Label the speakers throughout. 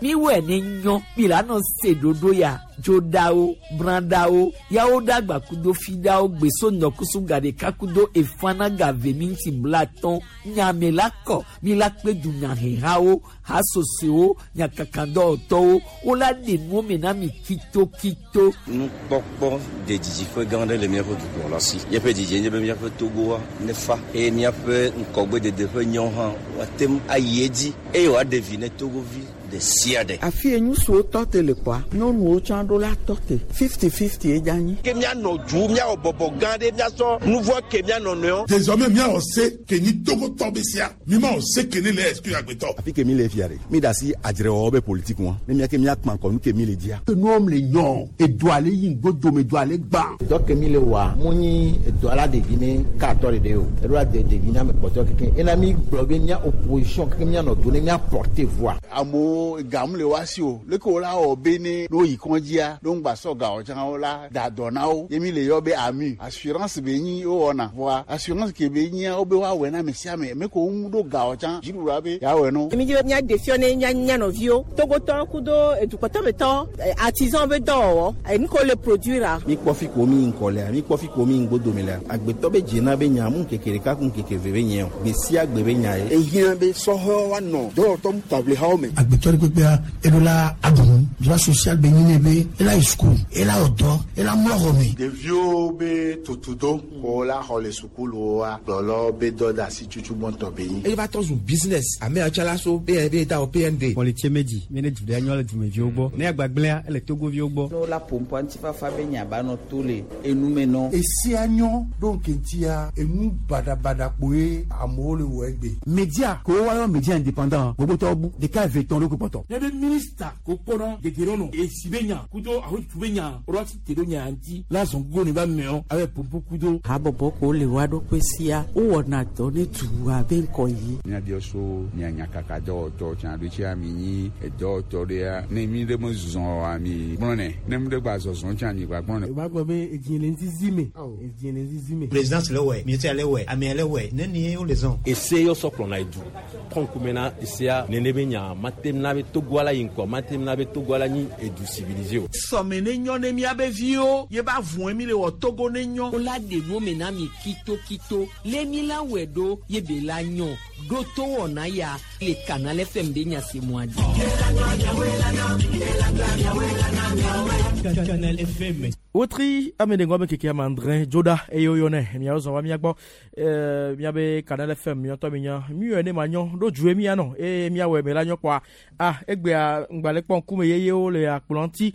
Speaker 1: Miwɔe ne nyɔ mi la nɔ se ɖoɖo ya dzoɖawo brãɖawo yawo ɖagba kudo fiɖawo gbeso ŋdɔkusu ga ɖeka kudo efana ga ve minti 50 nyame la kɔ mi la kpe dunyahehawo hasosoewo nyakakadɔwɔtɔwo wola ɖe nuwo me na mi kitokito.
Speaker 2: Nukpɔkpɔ de didiƒe gã aɖe le míaƒe dukplɔla si. Míaƒe didie nye be míaƒe Togoa nefa eye míaƒe ŋkɔgbedede ƒe nyɔ hã woate ŋu ayi edzi eye wòaɖe vi ne Togovi ɖe sia ɖe.
Speaker 3: Afi ye ŋutsuwo tɔ te le kpɔa, nyɔnuwo tsã ɖo la tɔ te. 50-50 ye dze anyi.
Speaker 4: Ke míanɔ du, míawɔ bɔbɔ gã ɖe, míasɔ nu vɔ̃ ke mía nɔnɔewo.
Speaker 5: Désormais míawɔ se ke nyi Togotɔ be sea, mímawɔ se ke ne le exclure agbetɔ.
Speaker 6: Afi ke mi le fia ɖe, mi ɖe asi adzrewɔwɔ be politique ŋua, ne mía ke mía kpa ŋkɔ nu ke mi le dzia.
Speaker 7: Enuwo le nyɔ, edoa le yi ŋgodome, edoa le gbã.
Speaker 8: Dɔ ke mi le wɔa, mu nyi edoa la ɖevi ne katɔ ɖeɖe o, eɖo la de ɖevi na ame kpɔtɔe keke. Ena mi gblɔ be mía opposition keke mía nɔ do ne mía porter voix.
Speaker 9: Amewo gam le woa si o, leke wo la wɔ be ne ne woyi kɔndzia, ne woŋgba sɔ ga o tsã wo la da dɔ na wo. Ye mi le yɔ be AMU, assurance be nyi wowɔna. Vɔa assurance ke be nyia wo be woawɔe na ame sia ame. Ame ke wo ŋu ɖo ga o tsã, dziɖuɖua be yeawɔe na wo.
Speaker 10: Mi dzi be míaɖe fiɔ ne mía mía nɔviwo, Togotɔwo kudo edukpɔtɔmetɔwo, artisan be dɔwɔwɔ, enu ke wole produire-a.
Speaker 11: Mi kpɔ fi ko mi yi ŋkɔ lea, mi kpɔ fi ko mi yi ŋgodome lea, agbetɔ be dzena be nya mu ŋkeke ɖeka ku ŋkeke eve be nye o, gbe sia gbe be nya ye.
Speaker 12: Ehiã be sɔhɛwo woanɔ dɔwɔtɔ taʋlihawo me.
Speaker 13: Agbetɔ ɖe kpekpea, eɖo la aɖu nu. Droit social be nyi nɛ be ela yi suku, ela wɔ dɔ, ela mlɔ xɔ me.
Speaker 14: Ɖeviwo be tutudo ko la xɔ le sukuluwoa, kplɔlawo be dɔdeasi tutu gbɔntɔ be nyi.
Speaker 15: Eye va trɔ zu business. Ame yawo tsã la so be be da wɔ PND.
Speaker 16: Kpɔlitse medzi mi ne du ɖe nyɔ le dumeviwo gbɔ. Ne agbagblẽa ele Togoviwo gbɔ.
Speaker 17: Ne wola ƒoƒua ŋutifafa be nya ba nɔ to le enu me nɔ.
Speaker 18: Esia nyɔ ɖo ŋkeŋtia enu baɖabaɖa kpoe amewo le wɔ egbe.
Speaker 19: Media ke woayɔ media indépendant gbogbotɔwo bu ɖeka eve tɔn ɖokui kpɔtɔ.
Speaker 20: Ne be minista ko kpɔna gege nɔ esi be nya kudo ahotutu be nya ɖo asi te ɖo nya ŋuti la zɔn gogo ne ba meɔ abe pompo kudo.
Speaker 3: Habɔbɔ ko le woa ɖokui sia wowɔna dɔ ne dua be ŋkɔ yi.
Speaker 21: Míabiɔ so mia nyakaka dɔwɔtɔ tsã ɖo tsia mi nyi edɔwɔtɔ ɖea ne mi ɖe me zɔn oa mi gblɔ nɛ ne mi ɖe gba zɔzɔn tsã mi gba gblɔ nɛ.
Speaker 22: O b'a gbɔ be edzi le ŋzizi me edzi le ŋzizi me.
Speaker 23: Présidence le wɛ, ministère le wɛ, amea le wɛ, nenie wole zɔn.
Speaker 24: Ese yɔ sɔ kplɔna edu trɔ ŋkume na esea nene be nya mate na be Togoa la yi ŋkɔ mate na be Togoa la nyi edu civilisé o.
Speaker 25: Sɔme ne nyɔ ne míabe viwo ye ba vɔe mi le wɔ Togo ne nyɔ.
Speaker 1: Wola ɖe nuwo me na mi kitokito le mi la wɔe ɖo ye be la nyɔ ɖo to wɔna ya le Canal FM be nya se mɔa dzi.
Speaker 26: Canal FM.
Speaker 27: Wotri ame ɖe ŋgɔ be keke ame adre dzoɖa eye woyɔnɛ miawo zɔn va mía gbɔ míabe Canal FM miatɔ mi nya miwɔe ne manyɔ ɖo due mianɔ eye miawɔe me la nyɔ kpɔa ah egbea ŋgbalẽ kpɔ ŋkume yeyewo le akplɔ ŋuti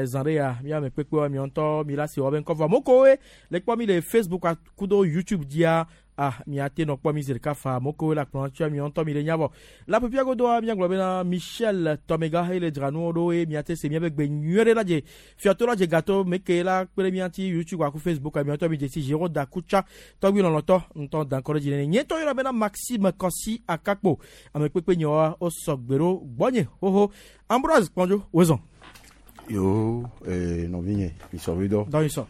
Speaker 27: zã ɖe ya míame kpekpewoa miawo mi la si wɔ be ŋkɔ vɔ amewo le kpɔ mi le Facebook kudo YouTube dzia ah miate nɔ kpɔ mi zi ɖeka fa amewo le akplɔ ŋutia miawo ŋutɔ mi le nya vɔ le aƒepia godoa míagblɔ bena Michel Tɔmega eye le dzra nuwo ɖo eye miate se miabe gbe nyuie ɖe la dze fiato la dze gato meke la kpe ɖe mía ŋuti YouTube aku Facebook miawo ŋutɔ mi dze si Jérôme Dakutsa tɔgbi lɔlɔtɔ ŋutɔ da ŋkɔ ɖe dzi nene nye ŋutɔ yɔna bena Maxime Kɔsi Akakpo ame kpekpe nyewoa wosɔ gbe ɖo gbɔnye xoxo Ambroise Kpɔndzo wozɔn.
Speaker 6: Yo, nɔvinye, mi sɔ vi dɔ.
Speaker 27: Dɔ mi sɔ.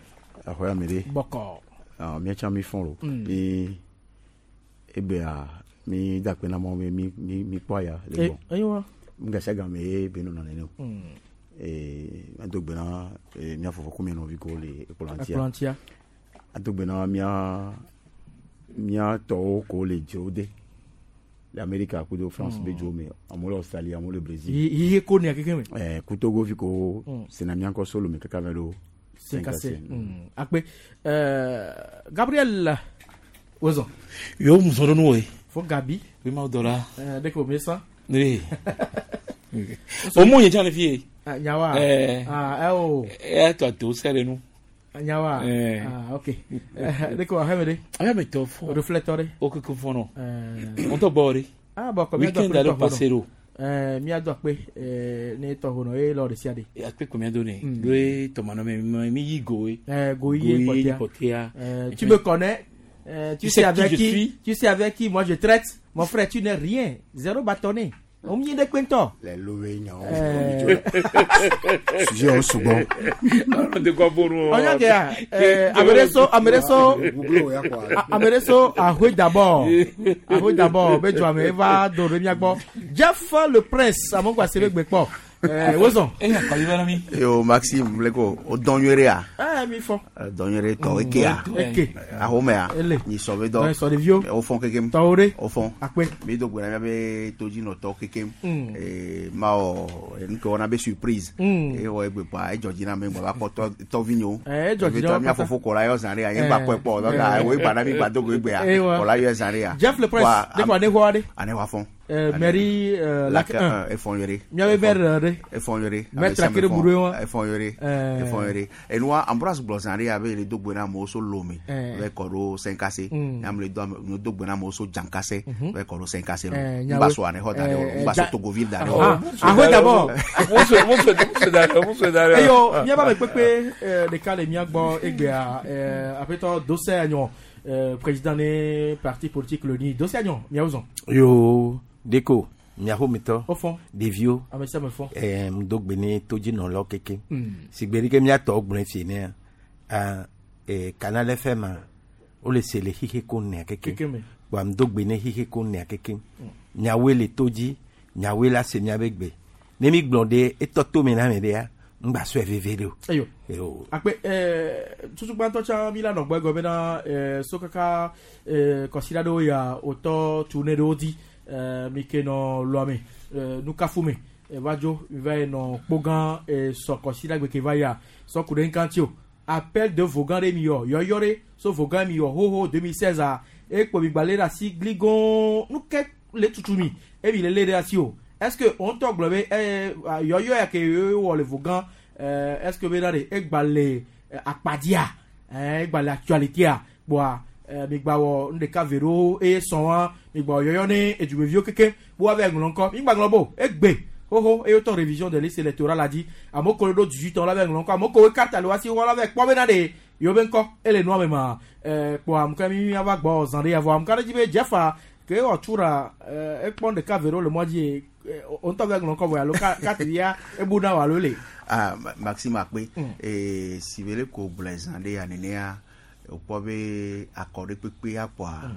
Speaker 6: Axɔe ame ɖe.
Speaker 27: Bɔkɔ.
Speaker 6: Ah, míatsã mi fɔn lo. Mi egbea mi da akpe na Mawu be mi mi mi kpɔ aya le gbɔ.
Speaker 27: Eyiwa.
Speaker 6: Ŋgasi game ye be nɔna nene o. Ado gbe na mía fofo ku mía nɔvi ko le ekplɔ ŋutia.
Speaker 27: Ekplɔ ŋutia.
Speaker 6: Ado gbe na mía mía tɔwo ko le dzro de. Le Amerika kudo France be dzo me, amewo le Australie, amewo le Brésil.
Speaker 27: Yiye ko nea keke me.
Speaker 6: Ku Togo vi ko sena mía ŋkɔ solo me kaka va ɖo
Speaker 27: Senkase. Akpe. Gabriel Wozon.
Speaker 20: Yo muso ɖo nu woe.
Speaker 27: Fo Gabi.
Speaker 20: Bi ma dɔ la.
Speaker 27: Ɖe ko mi sa.
Speaker 20: Ne. O mu nye tsã le fi ye.
Speaker 27: Nyawa. Ah, o.
Speaker 20: E tɔ to se ɖe nu.
Speaker 27: Nyawa. Ah, ok. Ɖe ko aheme ɖe.
Speaker 20: Aheme tɔ fɔ.
Speaker 27: Reflecteur ɖe.
Speaker 20: O keke fɔ nɔ. Ŋutɔ gbɔ ɖe.
Speaker 27: Ah, bon, comme
Speaker 20: Weekend aɖe passé ɖo.
Speaker 27: Míado akpe ne tɔ ho nɔ ye lɔ ɖe sia ɖe.
Speaker 20: Akpe ko míado ne. Ɖo ye tɔmanɔ me mi yi go ye.
Speaker 27: Go yi
Speaker 20: Go kpɔtɛa.
Speaker 27: Tu me connais. Tu sais avec qui, tu sais avec qui moi je traite. Mon frère, tu n'es rien. Zéro bâtonnet. O mi ɖe kpentɔ.
Speaker 6: Le lowe nyawo. Sujet o sugbɔ.
Speaker 27: Ɔnya ke ya ame ɖe so ame ɖe so ame ɖe so ahoe d'abord ahoe d'abord be dzɔ ame eva do ɖe mía gbɔ. Jeff le prince amewo gba se be gbe kpɔ. Wozɔn.
Speaker 11: Yo Maxime leko o dɔn nyuie ɖe ya.
Speaker 27: Mi fɔ.
Speaker 11: Dɔn nyuie ɖe tɔ eke ya.
Speaker 27: Eke.
Speaker 11: Ahomea.
Speaker 27: Ele.
Speaker 11: Nyi sɔ be dɔ.
Speaker 27: Sɔ ɖeviwo.
Speaker 11: O fɔn kekem.
Speaker 27: Tɔwo ɖe.
Speaker 11: O fɔn.
Speaker 27: Akpe.
Speaker 11: Mi do gbe na miabe todzinɔtɔwo kekem. Ma wɔ nu ke wɔna be surprise. Eye wɔ egbe kpɔa edzɔ dzi na ame ŋgba va kpɔ tɔ tɔvinyewo.
Speaker 27: Edzɔ dzi na wo
Speaker 11: Mía
Speaker 27: katã.
Speaker 11: fofo kɔ la yɔ zã ɖe ya. Nye ŋgba kpɔe kpɔ o. Donc wo egba na mi gba do go egbea.
Speaker 27: Eh, wa.
Speaker 11: Kɔ la yɔ zã ɖe ya.
Speaker 27: Jeff le prince
Speaker 11: Kpɔa,
Speaker 27: de kɔ ne xɔ aɖe.
Speaker 11: Ane wa fɔn.
Speaker 27: Mairie
Speaker 11: Lac
Speaker 27: Lac 1.
Speaker 11: 1 efɔn nyuie ɖe.
Speaker 27: Miabe maire ɖe.
Speaker 11: Efɔn nyuie ɖe.
Speaker 27: Maître Akere Buɖoe wa.
Speaker 11: Efɔn nyuie ɖe. Efɔn nyuie ɖe. Enua Ambroise gblɔ zã ɖe ya be le do gbe na amewo so Lome. Va kɔ ɖo Senkase. Ame le do ame do gbe na amewo so Dzankase. Va kɔ ɖo Senkase lo.
Speaker 27: Nyawo.
Speaker 11: Ŋgba so ane xɔ da ɖe o. Ŋgba so Togoville da ɖe o.
Speaker 27: Ahoe d'abord.
Speaker 2: Muso da ɖe.
Speaker 27: Eyo míabe ame kpekpe ɖeka le mía gbɔ egbea aƒetɔ Dose Anyɔ président ne parti politique le ni Dose Anyɔ miawo zɔn.
Speaker 4: Yo deko miaƒometɔ
Speaker 27: Wo fɔn.
Speaker 4: ɖeviwo
Speaker 27: Ame sia ame fɔn.
Speaker 4: ŋdo gbe ne todzinɔlawo keke sigbe ɖi ke miatɔwo gblɔe fie nea ah, Canal FM a wole se le xixe ko nea keke
Speaker 27: Keke me.
Speaker 4: kpoa ŋdo gbe ne xixe ko nea keke miawoe le to dzi miawoe la se miabe gbe ne mi gblɔ ɖe etɔ tome na ame ɖea ŋgba sɔe veve ɖe o.
Speaker 27: Eyo.
Speaker 4: Eyo.
Speaker 27: Akpe tutugbãtɔ tsã mi la nɔ gbɔ egɔ bena so kaka kɔsiɖa ɖewo ya wòtɔ tu ne ɖewo di mi ke nɔ lɔame nukafu me va dzo mi va yi nɔ kpogã sɔ kɔsiɖa gbe ke va yia sɔ ku ɖe ŋka ŋuti o appel de vogan ɖe mi yɔ yɔyɔ ɖe so vogan mi yɔ hoho 2016 a ekpo mi gba lé ɖe asi gligon nu ke le tutu mi emi le lé ɖe asi o est ce que wo ŋutɔ gblɔ be yɔyɔ ya ke wɔ le vogan est ce que bena ɖe egba le akpadia egba le actualité kpoa mi gba wɔ nu ɖeka ve ɖewo eye sɔn wa mi gba wɔ yɔyɔ ne edumeviwo keke bo wa va ŋlɔ ŋkɔ mi gba ŋlɔ bo egbe xoxo eye wotɔ révision de liste électorale la dzi amewo ko ɖo 18 ans la va ŋlɔ ŋkɔ amewo ko wo carte le wa si wɔ la va kpɔ bena ɖe yewo be ŋkɔ ele nua me ma kpoa amewo mi miava gbɔ zã ɖe ya vɔ amewo ka ɖe dzi be Jeffa ke wɔ tura ekpɔ nu ɖeka ve ɖewo le mɔ dzi ye wo ŋutɔ va ŋlɔ ŋkɔ vɔ alo carte ya ebu na wo alo le.
Speaker 11: Ah, Maxime Akpe. Si be ko gblɔe zã ɖe ya nenea wòkpɔ be akɔ ɖe kpekpe akpɔa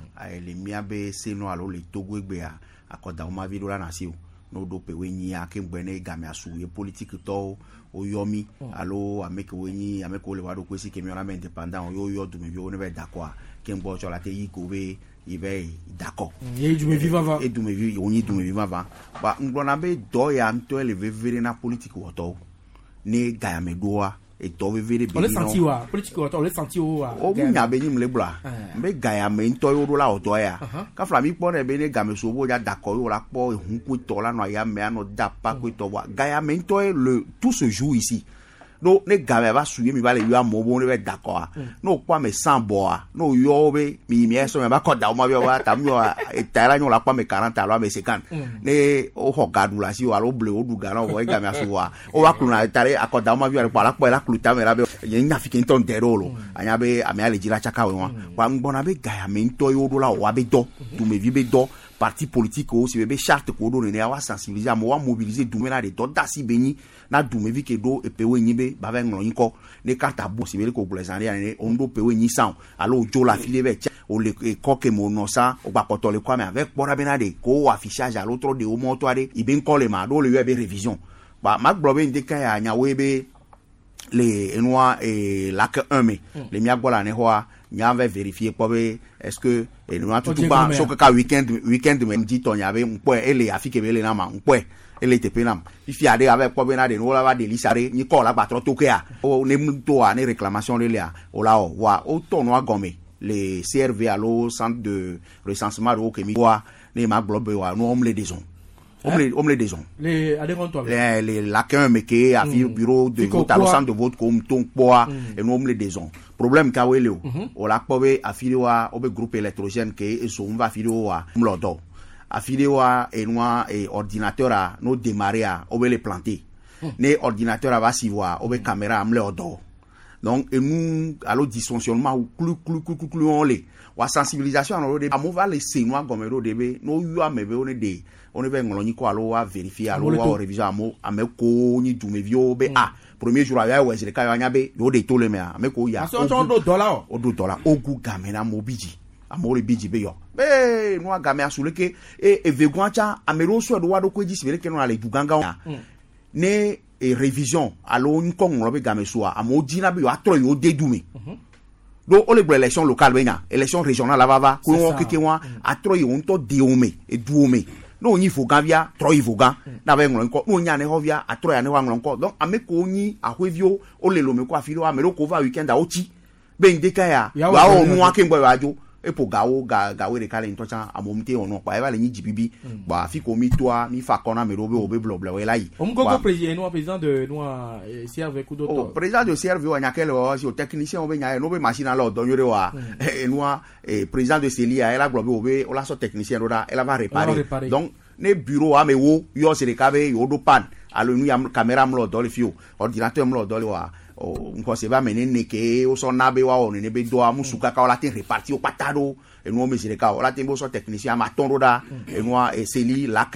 Speaker 11: le miabe senu alo le Togo egbea akɔdawɔmavi ɖo la na asi o ne woɖo ƒe nyia ke ŋgbɛ ne gamea su ye politique tɔwo woyɔ mi alo ame kewo nyi ame kewo le wa ɖokui si ke miɔna be indépendant wo yɔ dumeviwo ne va da akɔa ke ŋgbɔ tsɔ la te yi ko be yi va yi da akɔ.
Speaker 27: Ye dumevi vava.
Speaker 11: E dumevi wonyi dumevi vava ba ŋgblɔna be dɔ ya ŋutɔe le veve ɖe na politique wɔtɔwo ne gayame ɖoa etɔ veve ɖe
Speaker 27: On le senti wa politique wɔtɔ on le senti wo wa.
Speaker 11: wo nya be nyim le gblɔa be gayame ŋutɔ ye woɖo la wɔ dɔ ya kafla mi kpɔ nɛ be ne game so bo dza da akɔ ye wo la kpɔ ehun koetɔ la nɔ ayame anɔ da pa koetɔ voa gayame ŋutɔ ye le tout se joue ici no ne game va su ye mi va le yɔ amewo bo ne va da akɔa ne wokpɔ ame 100 bɔa ne woyɔ wo be mi yi mi sɔ mi va kɔ da wo ma bi wa ta mi yɔ eta la nyɔ la kpɔ ame 40 alo ame 50 ne woxɔ ga ɖu le asi o alo ble wo ɖu ga na wo vɔ ye game asu vɔa wo va kplɔna eta ɖe akɔda wo ma vi kpɔ ala kpɔ la klu tame la be nye nya fi ke ŋutɔ ŋdɛ ɖe o lo anya be amea le dzi la tsaka wo wa wa ŋgbɔna be gayame ŋutɔ ye woɖo la wɔ be dɔ dumevi be dɔ parti politique wo si be be charte ko ɖo nenea wa sensibiliser amewo wa mobiliser dume la ɖe dɔ da asi be nyi na dumevi ke ɖo epewo nyi be ba va ŋlɔ ŋkɔ ne carte abu si be le ko gblɔ zã ɖe ya nene wo ɖo pewo nyi san o alo dzo le afi ɖe vɛ tsa o le ekɔ ke me wonɔ sa o gba kpɔtɔ le kɔa me ave kpɔ ɖa bena ɖe ko wɔ affichage alo trɔ ɖe wo mɔtɔ aɖe yi be ŋkɔ le ma ɖo le yɔe be révision ba ma gblɔ be ŋdeka ya nyawoe be le enua Lac 1 me le mía gbɔ le anexɔa nya va vérifier kpɔ be est ce que enua tutugba so kaka weekend weekend me ŋdi tɔ nya be ŋkpɔe ele afi ke be ele na ma ŋkpɔe ele teƒe nam fifia ɖe ava kpɔ bena ɖe ne wola va ɖe lisa ɖe nyikɔ la gbatrɔ to kea wo ne mu toa ne réclamation ɖe lia wola wɔ voa wotɔ nua gɔme le CRV alo centre de recensement ɖewo ke mi wa ne ma gblɔ be wa nu wɔm le dezɔn womle dezɔn
Speaker 27: Le adhérent
Speaker 11: le Lac 1 me ke afi bureau de vote alo centre de vote ko to kpɔa enu womle dezɔn problème kawoe le o wola kpɔ be afi ɖewoa wobe groupe électrogène ke ezo ŋu va afi ɖewo wa mlɔ dɔ afi ɖewoa enua ordinateur a no démarrer a wobe le planter ne ordinateur a va si voa wobe caméra mle wɔ dɔ Donc enu alo dysfonctionnement klu klu klu klu klu wɔn le wa sensibilisation anɔ ɖo de amewo va le se nua gɔme ɖo de be ne woyɔ ame be wone de wone va ŋlɔ nyikɔ alo wa vérifier alo
Speaker 27: Amewo le
Speaker 11: wa
Speaker 27: to.
Speaker 11: wɔ révision amewo ame kowo nyi dumeviwo be ah, premier jour a ya wɔ zi ɖeka yewoa nya be yewo ɖe to le mea ame kowo ya.
Speaker 27: Parce que wotsɔ ɖo dɔ la o.
Speaker 11: Woɖo dɔ la wogu game na amewo bi dzi amewo le bi dzi be yɔ ee nua gamea su leke e evegɔa tsa ame ɖewo sɔe ɖo wa ɖokui dzi si be leke nɔna le du gãgãwo ne e révision alo ŋkɔ ŋlɔ be game sua amewo dzina be yewoatrɔ yewo de du me ɖo wole gblɔ élection locale be nya élection régionale la va va
Speaker 27: C'est
Speaker 11: ko wɔn
Speaker 27: ça.
Speaker 11: keke wɔn atrɔ yewo ŋutɔ de wo me eduwo me ne wonyi vogã via trɔ yi vogã ne ava yi ŋlɔ ŋkɔ ne wonyi anexɔ via atrɔ yi anexɔ aŋlɔ ŋkɔ. Donc ame kewo nyi aƒeviwo wole lome ko afi ɖewo ame ɖewo ko va weekend a wotsi be ŋdeka ya
Speaker 27: Yeawɔ
Speaker 11: yewoawɔ
Speaker 27: dɔ
Speaker 11: nua keŋ gbɔ yewoadzo eƒo gawo ga gawoe ɖeka le ŋutɔ tsã amewo ŋute wɔ nua kpa eva le nyi dzibibi kpa afi ko mi toa mi fa akɔ na ame ɖewo be wo be blɔblɔwoe la yi.
Speaker 27: Omgogo
Speaker 11: Kpoa-
Speaker 27: président, nous, président de nous, CRV Kudo.
Speaker 11: Oh, président de CRV wa nya ke le wɔ si o technicien wo be nya ye no be machine la dɔ nyuie ɖe wa enua président de CELI ya ela gblɔ be wo be wola sɔ technicien ɖo ɖa ela va
Speaker 27: réparer.
Speaker 11: réparer. Donc ne bureau ame wo yɔ zi ɖeka be yewo ɖo panne alo nu ya caméra mlɔ dɔ le fi o ordinateur mlɔ dɔ le wa o ŋkɔse be ame nene ke wosɔ na be woawɔ nene be dɔa musu kaka wola te réparti wo kpata ɖo enuwo me zi ɖeka o wola te be wosɔ technicien ame atɔ̃ ɖo ɖa enua CELI lac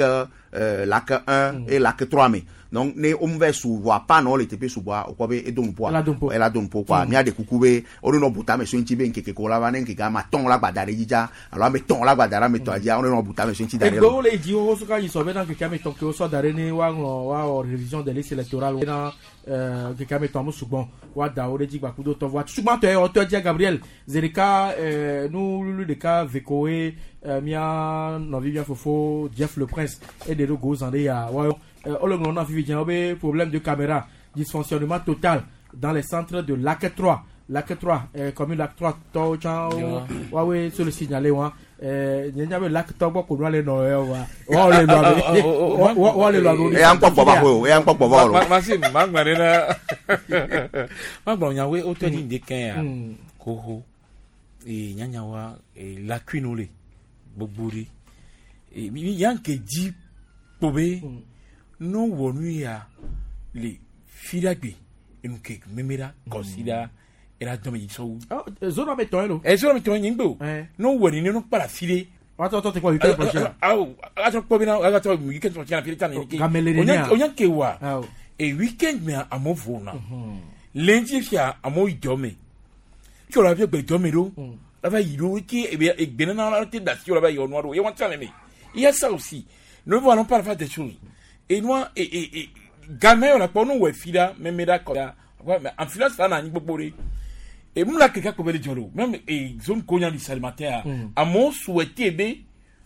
Speaker 11: lac 1 et lac 3 me. Donc ne wo va su voa panne wo le teƒe sugbɔa wokpɔ be edo nuƒoa
Speaker 27: Ela do nuƒo.
Speaker 11: Ela do nuƒo kɔa mía ɖe kuku be wo nɔ bu tame so ŋuti be ŋkeke ko la va ne ŋkeke ame atɔ̃ la gba da ɖe dzi dza alo ame etɔ̃ la gba da ɖe ame etɔ̃a dzia wo nɔ bu tame so ŋuti da ɖe
Speaker 27: Egbewo le dzi xoxo soka yi sɔ bena keke ame etɔ̃ kewo sɔ da ɖe ne woaŋlɔ woawɔ révision des listes électorales bena keke ame etɔ̃ amu sugbɔn woada wo ɖe dzi gbakudo tɔ voa sugbãtɔ ye wɔtɔ dzia Gabriel zi ɖeka nu lulu ɖeka vekowoe mía nɔvi mía fofo Jeff le Prince eɖe ɖo go zã ɖe ya woayɔ wole ŋlɔ na fifi dzia wo be problème de caméra, dysfonctionnement total dans les centres de Lac 3, Lac 3, commune Lac 3 tɔwo tsã wo woawoe so le signaler wa nye nya be Lac tɔ gbɔ ko nua le nɔ yɛ wa woawo le nɔ abe woawo le nɔ abe.
Speaker 11: Eya ŋkpɔ gbɔ va ƒe o eya ŋkpɔ gbɔ va o.
Speaker 2: Masi magblɔ ɖe na magblɔ nyawoe wotɔ dzi ŋdi kɛn ya xoxo ee nyanyawa ee lacune le gbogbo ɖe ee mi yanke dzi kpo be no wɔ nu ya le fiɖagbe enu ke meme ɖa kɔsi ɖa ela dɔn mi sɔwu.
Speaker 27: Zone ame tɔn ye lo.
Speaker 2: Ɛ zone ame tɔn ye nye ŋgbe o no wɔ nene no kpa la fi ɖe.
Speaker 27: Watɔ tɔ te kpɔ weekend prochain.
Speaker 2: Awo atɔ kpɔ bena atɔ weekend prochain la fi ɖe tan ne ke.
Speaker 27: Gamele ɖe nea.
Speaker 2: O nya ke wa e weekend mea amewo vo na lundi fia amewo yi dɔ me tí o la fi gbe dɔ me ɖo la va yi ɖo ke ebe egbe nana la te da si o la va yi ɔnua ɖo ye wɔn tsa me me il y a ça aussi. Nous ne voulons pas faire des choses et nous et game yɔ la kpɔ nu wɔ fi ɖa mɛmɛ ɖa kɔ ɖa mais en finance la na anyi gbogbo ɖe et mu la keke kpɔ be le dzɔ ɖo même e zone ko nya di salimataire amewo souhaité be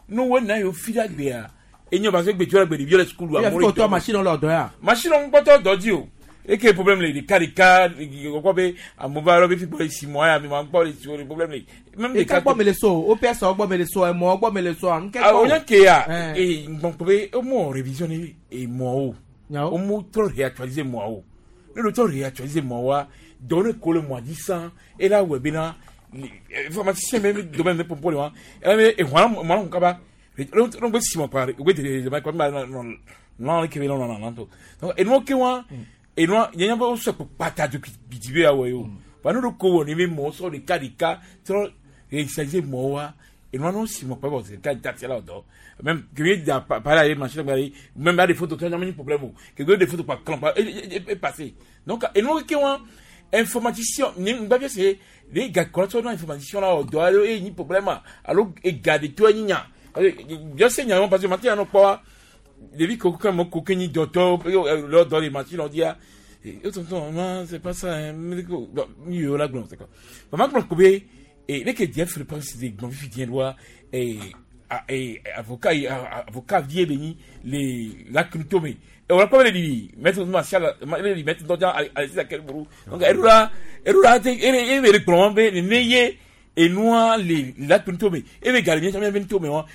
Speaker 2: nu wo na yewo fi ɖa gbea enye parce que gbe la gbe ɖeviwo le sukulu.
Speaker 27: Amewo le dɔ machine le dɔ ya.
Speaker 2: Machine ŋgbɔtɔ dɔ dzi o eke problème le ɖeka ɖeka kɔkɔ be amewo va yɔrɔ be fi gbɔ le si mɔ ya mi ma gbɔ le si o le problème le.
Speaker 27: Même ɖeka gbɔ me le so OPS gbɔ me le so emɔ gbɔ me le so
Speaker 2: nkɛ. O nya ke ya ee ŋgbɔnkpɔ be o mɔ révision ni emɔ o o mo trɔ réactualiser mɔ o ne do trɔ réactualiser mɔ wa dɔw ne ko le mɔ dzi san e la wɔ bena informaticien bɛ domaine de pompo le wa e bɛ ehun mɔ kun kaba ne bɛ si mɔ kpa o bɛ dege dege kpa nɔ nɔ kebe nɔ nɔ nɔ to. Donc enuwo ke wa enua yɛn bɛ sɔ kpata do bidi bɛ awɔ ye o wa n'o do ko wɔ ni bɛ mɔ sɔ ɖeka ɖeka trɔ réactualiser mɔ wa enua n'o si mɔ kpa bɔ ɖeka dati la dɔ même kebe da parler avec machine gba même a des photos kɛ ɲamani problème o kebe des photos kpa kan kpa e passé. Donc enuwo ke wa informaticien ni ngba bi se le ga kɔlɔtɔ na informaticien la dɔ alo e ni problème alo e ga de to nya bien se nya parce que matin no kpɔ ɖevi ko kɛ mo ko ke nyi dɔtɔ lɔ dɔ le machine on dit ah tonton, non, c'est pas ça hein, mi yo la gblɔ c'est quoi maman gblɔ ko be e ne ke diɛ fere parce que gbɔn fifi diɛ doa e avocat avocat vie be nyi le la crypto me e wala kɔ be le di maître martial le di maître dɔdza alexis akelburu. Donc erura erura te e be le gblɔ be ne ye enua le la crypto me e be gari mi mi to me wa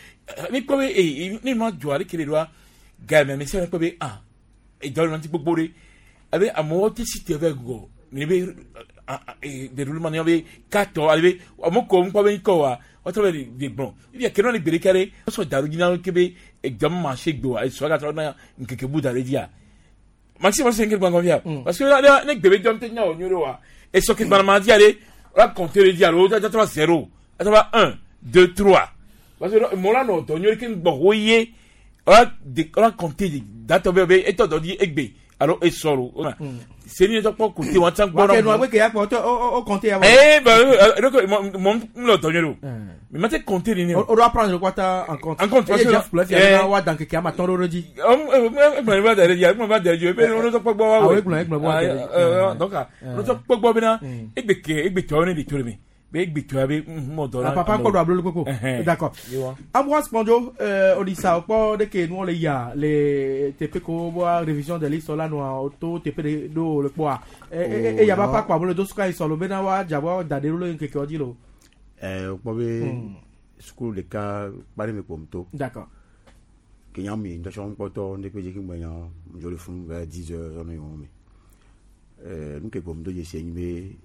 Speaker 2: mi kɔ be e ne nua dzɔ ale kele doa gari mi se kɔ be ah e dɔ le ŋuti gbogbo ɖe abe amewo te si te vɛ gɔ ne be déroulement ne be katɔ ale be amewo ko ŋkɔ be ŋkɔ wa wɔtrɔ be de gblɔ ebi ake nɔ le gbe ɖeka ɖe wosɔ daru dzi na wo ke be edɔm marché gbe wa esɔ gatrɔ na ŋkeke bu da ɖe dzia Maxime ma se nke gbangɔ fia. Parce que ne gbebe jɔn tɛ nya o nyoro wa. Et ce qui va ma di ale, on va compter le di alo, ça va 0, ça va 1, 2, 3. Parce que mo la no to nyoro ke ngbɔ ho ye. On va on va compter date be e to do di egbe. Alors e soro. C'est ni to kpɔ côté wọn tan
Speaker 27: Wa
Speaker 2: gbɔ
Speaker 27: ke nu agbe ke ya kpɔ tɔ o o compter ya.
Speaker 2: Eh ben donc mo mo to nyoro. Mais ma te compter ni.
Speaker 27: O doit prendre le quota en compte.
Speaker 2: En compte, parce
Speaker 27: Et
Speaker 2: que-
Speaker 27: Jeff Plef, il y a wa dan keke ama tɔn ɖo dzi. Ah, papa kpɔ do ablo koko. D'accord. Ambroise Kpɔndzo, Odisa kpɔ ɖe ke nuwo le yia le teƒe ko wa révision de liste la nua to teƒe ɖe ɖo le kpɔa. Eya ba pa kpɔ ablo do suka yi sɔlɔ bena wa dzabɔ da ɖe ɖo le ŋkekeɔ dzi lo.
Speaker 6: Wokpɔ be sukulu ɖeka kpa ɖe me kpɔm to.
Speaker 27: D'accord.
Speaker 6: Ke nya mi ŋutɔ kpɔtɔ ŋɖe dzi ke ŋgbe nya ŋdzo le funu vers 10 heures zɔnɔ yi wɔn me. Nu ke kpɔm do dzesi enyi be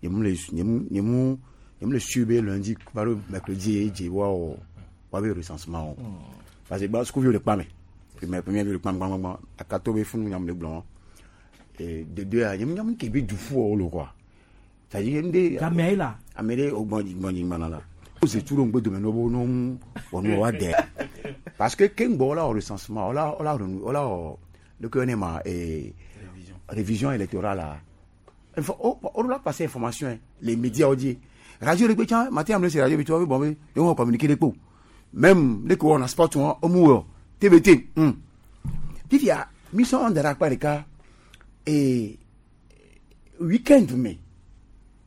Speaker 6: nyemu le nyemu nyemu nyemu le su be lundi va ɖo mercredi ye dze woawɔ woabe recensement o. Parce que gba sukuviwo le kpa me. Premier premier vi le kpa me gbãgbãgbã akato be funu nyam le gblɔ wɔn. De deux ya nyemu nyam ke be du fu wo lo quoi. C'est-à-dire ŋɖe.
Speaker 27: Gamea yi la.
Speaker 6: Ame ɖe wo gbɔn gbɔn dzigbana la. O se tu ɖo ŋgbe dome ne wo no wɔnu wa dɛ. Parce que ke ŋgbɔ la wɔ recensement wala wala wala wɔ le ke ne ma révision électorale la. Info o o la passer information hein. Les médias ont dit radio le gbe matin am le se radio bi to bon be e won communiquer le po. Même le ko on a sport on o mu wo TBT. Fifia mission on dara pa le ka et week-end me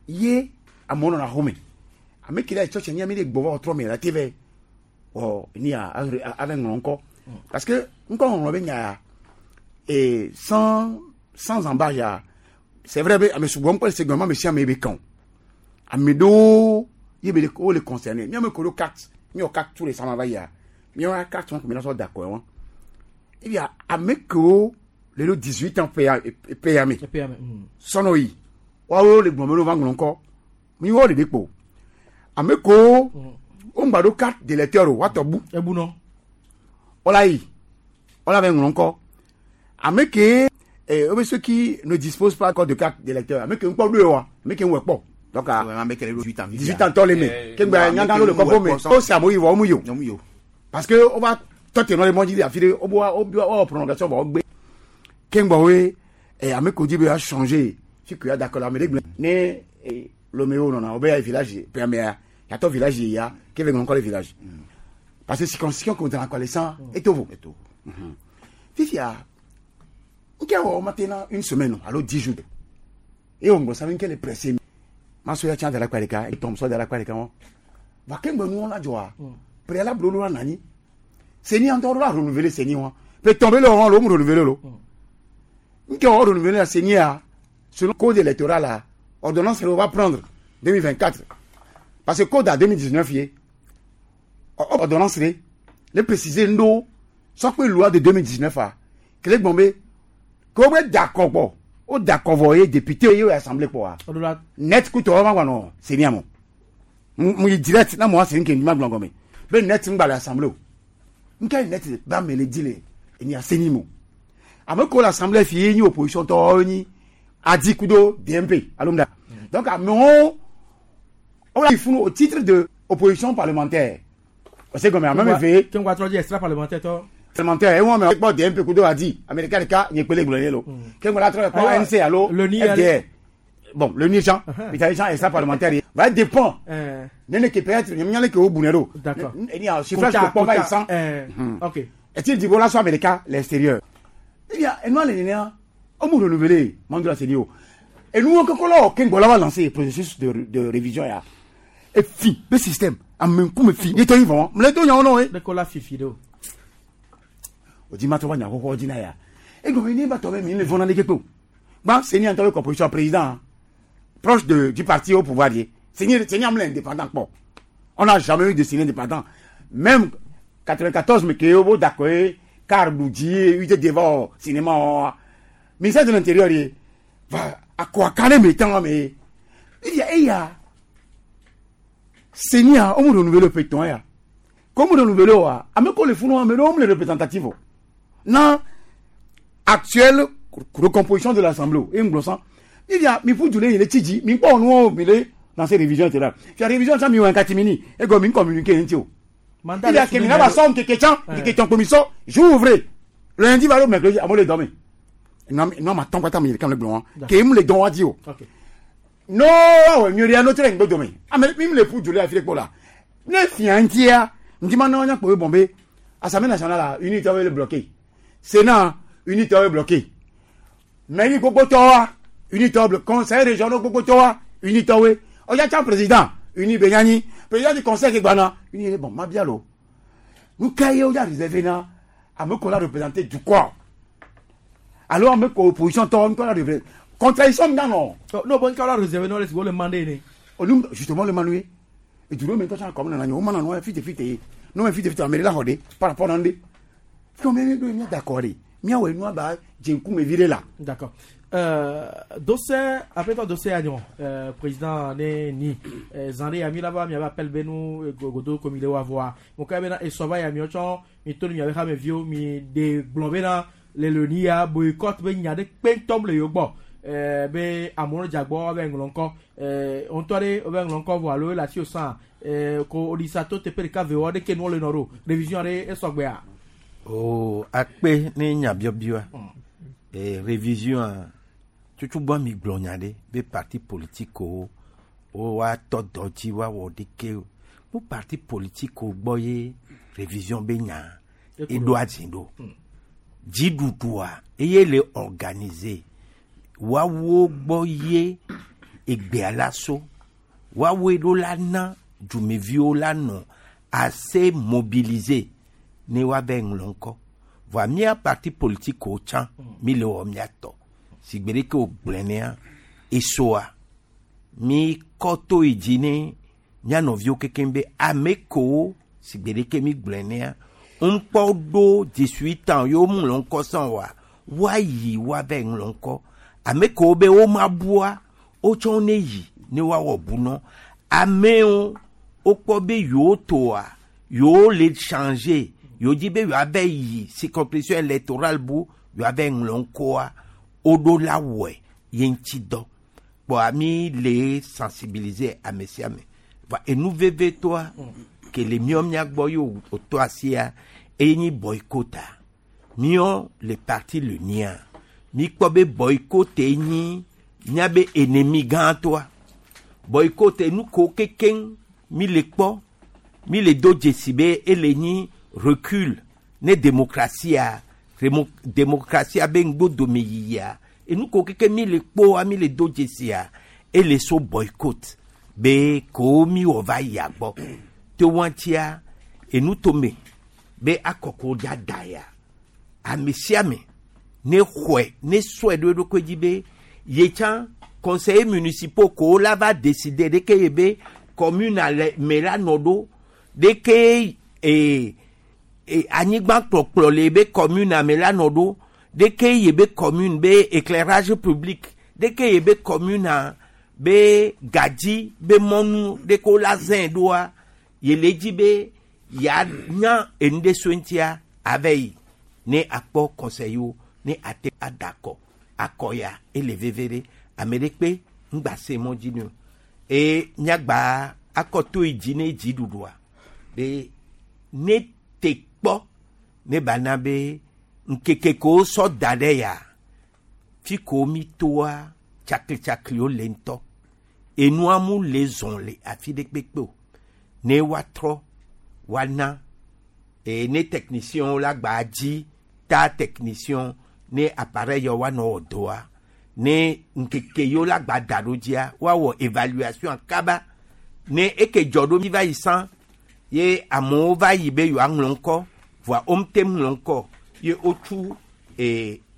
Speaker 6: ye amewo nɔna xɔme ame ke le tsɔtsi nye mi ɖe gbɔ va trɔ me la te vɛ ɔ ni a ave ŋlɔ ŋkɔ parce que ŋkɔ ŋlɔ be nya ya et sans embâche ya c'est vrai be ame sugbɔ ŋkɔ le se gɔme ame sia ame be kan o ame ɖewo ye be le wo le concerné miame ko ɖo carte miwɔ carte tout récemment va yia miwɔ carte wɔn ko mi la sɔ da kɔɛ wɔn et bien ame kewo le ɖo 18 ans ƒe ya ƒe ya me sɔnɔ yi woawo le gbɔn be ɖo va ŋlɔ ŋkɔ mi wɔ ɖeɖe kpo ame kewo wo ŋgba ɖo carte d'électeur o woatɔ bu
Speaker 27: Ebunɔ.
Speaker 6: wola yi wola va ŋlɔ ŋkɔ ame ke wobe ceux qui ne disposent pas encore de carte d'électeur ame ke ŋkpɔ ɖoe wa ame ke ŋwɔ kpɔ donc a
Speaker 11: ame ke le ɖo 18 ans
Speaker 6: 18 ans tɔ le me ke ŋgba nyagã ɖo le kɔƒo me wo se amewo yi vɔ wo mu yi o parce que wova tɔ te nɔ le mɔ dzi le afi ɖe wo wo wo wɔ prolongation vɔ wo gbe ke ŋgbɔ woe ame ko dzi be ya changer fi ko ya da kɔ la ame ɖe gblẽ ne lome wo nɔna wo be ya yi village ƒe amea yatɔ village yi ya ke ve ŋlɔ ŋkɔ le village. Parce que circonscription ko dana kɔ le san etovo fifia nke wɔ maintenant une semaine alo 10 jours. Eye wo ŋgɔ sa mi nke le pressé. Ma so ya tsã da ɖe akpa ɖeka etɔm sɔ da ɖe akpa ɖeka wɔn va ke ŋgbe nuwo la dzɔa préalable wo la nani seni ŋutɔ ɖo la renouveler seni wɔn pe tɔn be le wɔn lo mu renouveler lo. Nke wɔ renouveler la seni ya selon code électoral la ordonnance on va prendre 2024 parce que code à 2019 ye ordonnance le le préciser ndo sɔkpe loi de 2019 a kele gbɔn be ko be d'accord gbɔ o d'accord vɔ ye député ye o assemblée kpɔ wa net kutɔ wɔn ma gba nɔ seni amɔ mu yi direct na mo seni ke ma gblɔ gɔmɛ be net ŋgba le assemblée o nke net ba me le di le eni aseni mo. Ame ko le assemblée fi ye nyi opposition tɔwo nyi adi kudo DMP alo mu da. Donc amewo o la funu au titre de opposition parlementaire. O se gɔmɛ ame me fe
Speaker 27: Ke ŋgba trɔ dzi extra parlementaire tɔ.
Speaker 6: parlementaire ewọn mɛ kpɔ DMP kudo adi américain ɖeka nye kpele gblɔ ye lo. Ke ŋgba la trɔ kpɔ ANC alo FDR bon le ni Jean Italie Jean extra parlementaire ye. Va dépend. Nene ke peut-être nyamnya le ke o bunɛ do.
Speaker 27: D'accord.
Speaker 6: Eni a suffrage ko kpɔ va yi san.
Speaker 27: Ok.
Speaker 6: Est-il dit voilà soit américain l'extérieur. Eh bien enua le nenia o mu renouveler mandu la seni o. Et nous on koko la ke ŋgbɔ la va lancer processus de révision ya. Et fi be système ame ŋkume fi ye tɔ yi vɔ mle do nyawo nɔ ye.
Speaker 27: Ne ko la fifi do.
Speaker 6: O di ma tɔ va nya xoxo dzi na ya. Egɔme ne ba tɔ be mi le vɔna leke kpe o. Gba seni ŋutɔ be composition président proche de du parti au pouvoir ye. Seni seni ame le indépendant kpɔ. On n'a jamais eu de seni indépendant. Même 94 me ke wo d'accord ye car dzi ye UTD devant cinéma ministère de l'intérieur ye va akɔ aka ne me tán me. Eya eya seni a o mu renouveler pe tɔn ya. Ko mu renouveler wa ame ko le funu ame ɖewo mu le représentatif o. Na actuelle recomposition de l'assemblée o. E ŋgblɔ sã. Mi via mi ƒu du le yi le tsi dzi. Mi kpɔ nuwo mi le dans ces révisions te la. Fia révision tsã mi wɔ catimini. Egɔ mi communiquer ŋuti o.
Speaker 27: Mandat
Speaker 6: Il y a
Speaker 27: le
Speaker 6: que mi na ba sɔ ŋkeke tsã. Ŋkeke tsã kpo mi sɔ. Jour ouvré. Lundi va ɖo mercredi amewo le dɔ me. Nua ma tɔn kpata mi ɖeka le gblɔ wa. Ke mu le dɔn wa di o. No awɔ nyuie ɖe no trɛ ŋgbe dome. Ame mi le ƒu du le afi ɖe kpɔ la. Ne fia ŋutia, ŋuti ma na nya kpɔ be bɔn be Assemblée nationale la unité le bloqué. Sénat unité le bloqué. Mairie gbogbo tɔwa unité bloqué. Conseil régional gbogbo tɔwa unité we. Ɔya tsã président uni be nyanyi. Président du conseil ke gbana uni bon ma bia lo. Nu ka ye wo ya réservé na ame ko la représenté du corps. Alo ame ko opposition tɔ nu ka la représenté. Contradiction mi nɔ.
Speaker 27: No bon ka la réservé no le si wo le mandé ne.
Speaker 6: Olu justement le manué. Et du même temps comme nana o mana no fite fite. No fite fite ameri la hode par rapport à ndé. Combien de mi d'accord Mi awe nu aba jenku me viré là.
Speaker 27: D'accord. Dossier après toi dossier agnon président ne ni zande ami là-bas mi appel benu godo comme il est voir. Mon cas bena et sova ya mi ocho mi to mi avec me vieux mi de blombe na le le ni ya boycott be nya de pentom le yogbo. Be amono jagbo be nglonko on tore be nglonko vo alo la si o san ko odisa to te pe ka ve o de ke no le noro révision re e sogbe a.
Speaker 4: O akpe ne nya biobioa. Révision a tutu bɔ mi gblɔ nya ɖe be parti politique wo woatɔ dɔ dzi woawɔ ɖeke o. Mo parti politique wo gbɔ ye révision be nya eɖo adzi ɖo. Dziɖuɖua eye le organiser. Woawo gbɔ ye egbea la so. Woawoe ɖo la na dumeviwo la nɔ assez mobiliser ne woave ŋlɔ ŋkɔ. Voa mía parti politique wo tsã mi le wɔ mía tɔ. Si gbe ɖeke wògblɔe nea, esoa mi kɔ to yi dzi ne mía nɔviwo kekeŋ be ame kewo si gbe ɖeke mi gblɔe nea, ŋkpɔ ɖo 18 ans yewo ŋlɔ ŋkɔ sã oa, woayi woave ŋlɔ ŋkɔ. Ame kewo be womabua, wotsɔ ne yi ne woawɔ bunɔ. Amewo wokpɔ be yewo toa, yewo le changer, yewo dzi be yewoave yi circonscription électorale bu, yewoave ŋlɔ ŋkɔa, woɖo la wɔe ye ŋuti dɔ. Kpɔa mi le sensibiliser ame sia ame. Va enu vevetoa ke le míɔ mía gbɔ ye wòtɔ asia, eye nyi boycott-a. Míɔ le parti le nia. Mi kpɔ be boycott nyi míabe ennemi gãtɔa. Boycott nu ko kekeŋ mi le kpɔ, mi le do dzesi be ele nyi recul ne démocratie démocratie be ŋgbodome yiyia. Enu ko keke mi le kpɔa mi le do dzesia, ele so boycott be ko mi wɔ va yia gbɔ. Te wɔntia enu tome be akɔkɔ dza da ya. Ame sia ame ne xɔe ne sɔe ɖo eɖokui dzi be ye tsã conseiller municipaux ko la va décider ɖeke ye be commune le me la nɔ ɖo ɖeke anyigba kplɔkplɔ le be commune me la nɔ ɖo ɖeke ye be commune be éclairage public ɖeke ye be commune be gadzi be mɔnu ɖeke wo la zẽ ɖoa ye le dzi be ya nya enu ɖe so ŋutia ave yi ne akpɔ conseil wo ne ate ada akɔ akɔ ya ele veve ɖe ame ɖe kpe ŋgba se mɔ dzi ne o eye míagba akɔ to yi dzi ne dziɖuɖua be ne te kpɔ ne ba na be ŋkeke ko sɔ da ɖe ya fi ko mi toa tsaklitsakliwo le ŋutɔ enua mu le zɔn le afi ɖe kpekpe o ne woatrɔ woana eye ne technicien la gba dzi ta technicien ne appareil yawo woanɔ wɔ dɔa ne ŋkeke yiwo la gba da ɖo dzia woawɔ évaluation kaba ne eke dzɔ ɖo mi va yi sã ye amewo va yi be yewoaŋlɔ ŋkɔ voa womete ŋlɔ ŋkɔ ye wotsu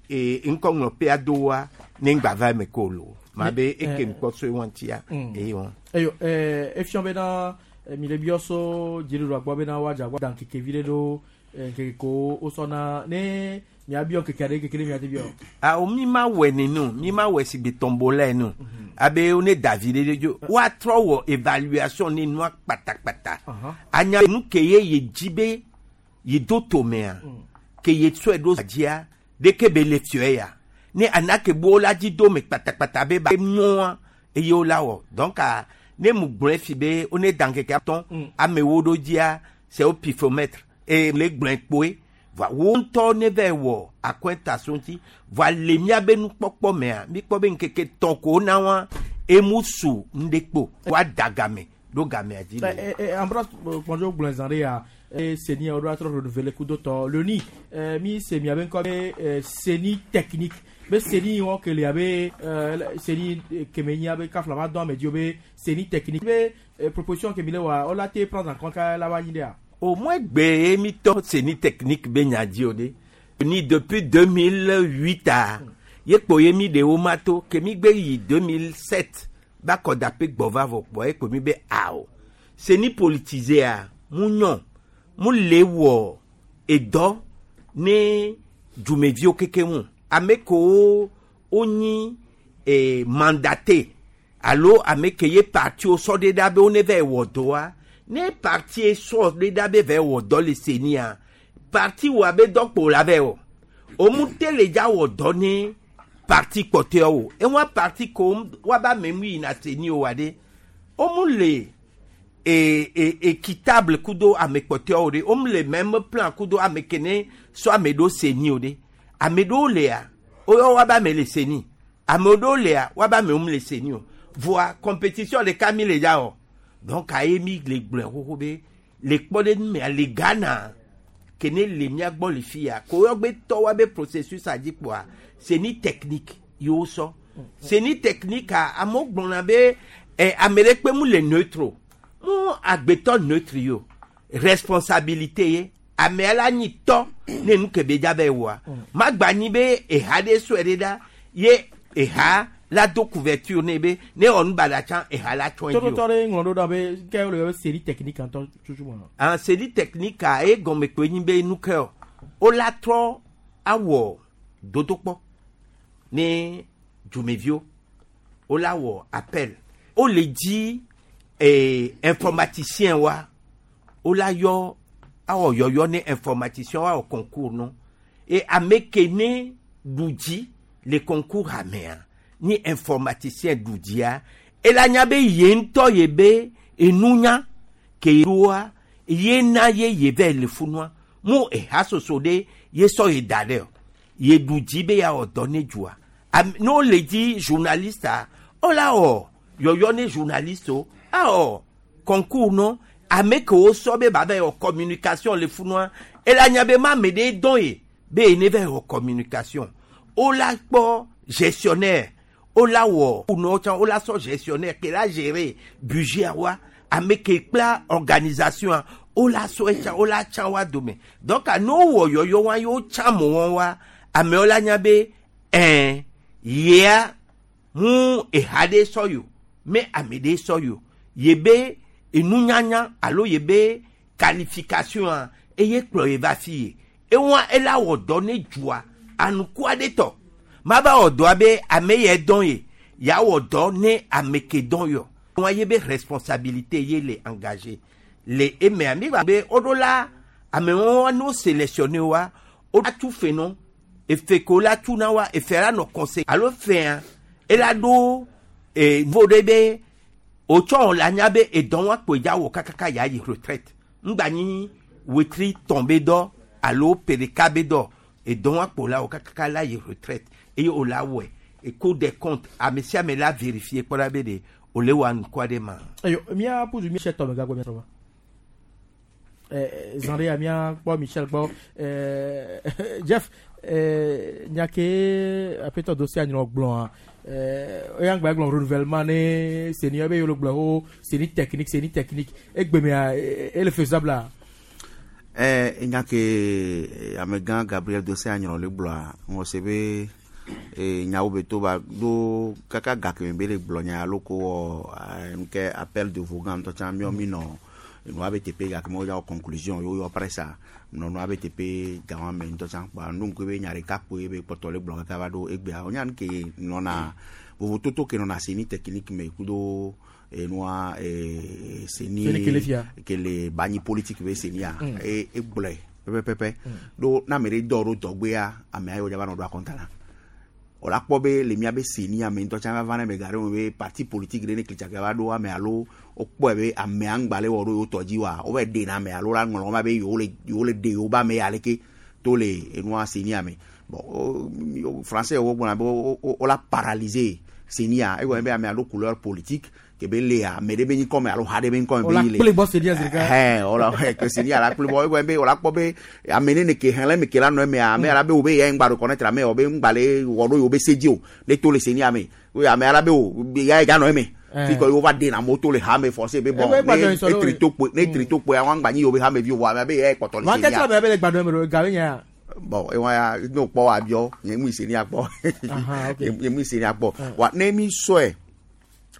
Speaker 4: ŋkɔŋlɔƒea doa ne ŋgba va eme ko lo ma be eke ŋkpɔ so wɔn tia eye wɔn.
Speaker 27: Eyo efiɔ bena mi le biɔ so dziɖuɖua gbɔ bena woadze agbɔ dan keke vi ɖe ɖo keke ko wosɔna ne miabiɔ keke aɖe keke ɖe miate biɔ.
Speaker 4: Awo mi ma wɔ nenu mi ma wɔ si gbe tɔnbo lɛ nu abe wo ne davi ɖe ɖe dzo woatrɔ wɔ évaluation ne nua kpatakpata anya nu ke ye ye dzi be ye do tomea. Ke ye tsɔe ɖo dzia ɖeke be le fiɔe ya. Ne anake bo la dzi do me kpatakpata be ba nyɔa eye wo la wɔ. Donc a, ne mu gblɔe fi be wo ne dan keke atɔ̃ amewo ɖo dzia c'est au pifomètre et le gblɔe kpoe. Voa wo ŋutɔ ne va wɔ akɔntaso ŋuti. Voa le míabe nukpɔkpɔ mea, míkpɔ be ŋkeke tɔ̃ ko wona wa emu su ŋɖe kpo. Woada game ɖo gamea dzi le.
Speaker 27: Ambroise Kpɔndzo gblɔe zã ɖe ya CENI woɖo atrɔ renouveler kudo tɔ loni mi se miabe ŋkɔ be CENI technique be CENI wɔn ke le abe CENI keme nyi abe kafla ma dɔn ame dzi be CENI technique be proposition ke mi le wa wola te prendre en compte ka la va nyi ɖea.
Speaker 4: Au moins gbe ye mi tɔ CENI technique be nya dzi o ɖe. Ni depuis 2008 a ye kpo ye mi ɖe wo ma to ke mi gbe yi 2007 ba kɔdape gbɔ va vɔ kpɔ ye kpo mi be ao. CENI politisé a mu nyɔ mu le wɔ edɔ ne dzumeviwo keke ŋu. Ame kewo wonyi mandaté alo ame ke ye partiwo sɔ ɖe ɖa be wo ne va wɔ dɔa ne parti sɔ ɖe ɖa be va wɔ dɔ le CENI-a parti wɔ abe dɔ kpo la vɛ wɔ. Omu te le dza wɔ dɔ ne parti kpɔtɔewo. Ewa parti ko wa ba me mu yina CENI o wa ɖe. Omu le équitable kudo ame kpɔtɔewo ɖe. Omu le même plan kudo ame ke ne sɔ ame ɖo CENI o ɖe. Ame ɖewo lea, woyɔ wa ba ame le CENI. Ame ɖewo lea, wa ba ame le CENI o. Voa compétition ɖeka mi le dza wɔ. Donc aye mi le gblɔe xoxo be le kpɔɖeŋu mea le Ghana ke ne le mía gbɔ le fi ya ko woyɔ be tɔ wa be processus a dzi kpoa CENI technique yewo sɔ. CENI technique a amewo gblɔna be ame ɖe kpe mu le neutre o. Mu agbetɔ neutre yi o. Responsabilité ye amea la nyi tɔ ne nu ke be dza be wɔa. Magba nyi be eha ɖe sɔe ɖe ɖa ye eha la do couverture ne be ne wɔ nu baɖa tsã eha la tsɔe dzi o.
Speaker 27: Tɔtɔtɔ ɖe ŋlɔ ɖo ɖa be ke wole be CENI technique ŋutɔ tutu mɔ.
Speaker 4: Ah, CENI technique a ye gɔme kpoe nyi be nu ke o. Wo la trɔ awɔ dodokpɔ ne dzumeviwo. Wo la wɔ appel. Wo le dzi informaticien wa. Wo la yɔ awɔ yɔyɔ ne informaticien wa wɔ concours no. Et ame ke ne ɖu dzi le concours hamea ni informaticien ɖu dzia ela nya be ye ŋutɔ ye be enunya ke ɖoa ye na ye ye vɛ le funua mu eha soso ɖe ye sɔ ye da ɖe o ye ɖu dzi be ya wɔ dɔ ne dzua ne wole dzi journaliste a wola wɔ yɔyɔ ne journaliste o awɔ concours no ame ke wo sɔ be ba vɛ wɔ communication le funua ela nya be ma ame ɖe dɔn ye be ye ne vɛ wɔ communication wola kpɔ gestionnaire wola wɔ kunɔ tsã wola sɔ gestionnaire ke la gérer budget wa ame ke kpla organisation a wola sɔ etsã wola tsã wa dome donc ne wowɔ yɔyɔ wa ye wotsã mo wɔn wa amewo la nya be ɛn yea mu eha ɖe sɔ yo me ame ɖe sɔ yo ye be enunyanya alo ye be qualification a eye kplɔ ye va fi ye ewa ela wɔ dɔ ne dzua anukua ɖe tɔ ma va wɔ dɔa be ame yɛ dɔn ye ya wɔ dɔ ne ame ke dɔn yɔ wa ye be responsabilité ye le engagé le emea mi gba be woɖo la amewo no sélectionné wa wo atu fe nɔ efe ko la tu na wa efe la nɔ conseil alo fea ela ɖo niveau ɖe be wotsɔ la nya be edɔn wa kpo dza wɔ kakaka ya yi retraite ŋgba nyi wetri tɔn be dɔ alo pe ɖeka be dɔ edɔn wa kpo la wɔ kakaka la yi retraite eye wo la wɔe et Cour des comptes ame sia ame la vérifier kpɔ ɖa be ɖe wòle wɔ anukua ɖe ma.
Speaker 27: Eyo mía pudu Michel tɔ me gagbɔ mía trɔ va. Zã ɖe ya mía kpɔ Michel gbɔ. Jeff nya ke aƒetɔ do sia nyrɔ gblɔa eya ŋgba gblɔ renouvellement ne CENI be yolo gblɔ ho CENI technique CENI technique egbemea ele faisable a.
Speaker 11: Nya ke amegã Gabriel Dosseh Anyrɔ le gblɔa ŋɔ se be nyawo be to ba do kaka gake me be le gblɔ nya alo ko wɔ nke appel de Vogan ŋutɔ tsã míɔ mi nɔ nua be teƒe gake me wodza wɔ conclusion yewo yɔ presse nɔ nua be teƒe gawa me ŋutɔ tsã kpa nu ŋku be nya ɖeka kpoe be kpɔtɔ le gblɔ kaka va ɖo egbea wonya nu ke nɔna vovototo ke nɔna CENI technique me kudo enua CENI
Speaker 27: CENI kele fia.
Speaker 11: kele banyi politique be CENI a egblɔe Pɛpɛpɛpɛ. Ɖo ne ame ɖe dɔ ɖo dɔgbea, amea yewo dza va nɔ ɖo akɔnta na. Wòla kpɔ be le míabe CENI ame ŋutɔ tsã va va ne eme ga ɖe me be parti politique ɖe ne klitsake va ɖo ame alo wokpɔe be amea ŋgba le wɔ ɖo yewo tɔ dzi oa, wova yi ɖena ame alo la ŋlɔ ma be yewo le yewo le ɖe yewo be ame ya leke to le enua CENI me. Bon, français wo gblɔna be wola paralyser CENI a, egɔme be amea ɖo couleur politique ke be lea ame ɖe be ŋkɔ me alo ha ɖe be ŋkɔ me be yi le.
Speaker 27: Wola kple bɔ CENI a zi ɖeka.
Speaker 11: Hɛn, wola ke CENI a la kple bɔ egɔme be wola kpɔ be ame ne ne ke xlẽ me ke la nɔ emea, ame la be wo be ya ŋgba reconnaître ame o be ŋgba le wɔ ɖo yewo be se dzi o, ne to le CENI a me. Wo ame la be o ya ya nɔ eme. Fi kɔ yewo va ɖena amewo to le ha me forcé be bon, ne etri to kpoe, ne etri to kpoe, awa ŋgba nyi yewo be hamevi o, vɔ amea be ya kpɔtɔ le
Speaker 27: Wa
Speaker 11: CENI
Speaker 27: kɛtɛ
Speaker 11: a.
Speaker 27: amea be le gbadɔ eme ɖo, ga be nya ya.
Speaker 11: Bon, ewa ya ne wokpɔ wa biɔ, nye mu yi CENI a kpɔ.
Speaker 27: Aha, ok.
Speaker 11: Nye mu yi CENI a kpɔ. Wa ne mi sɔe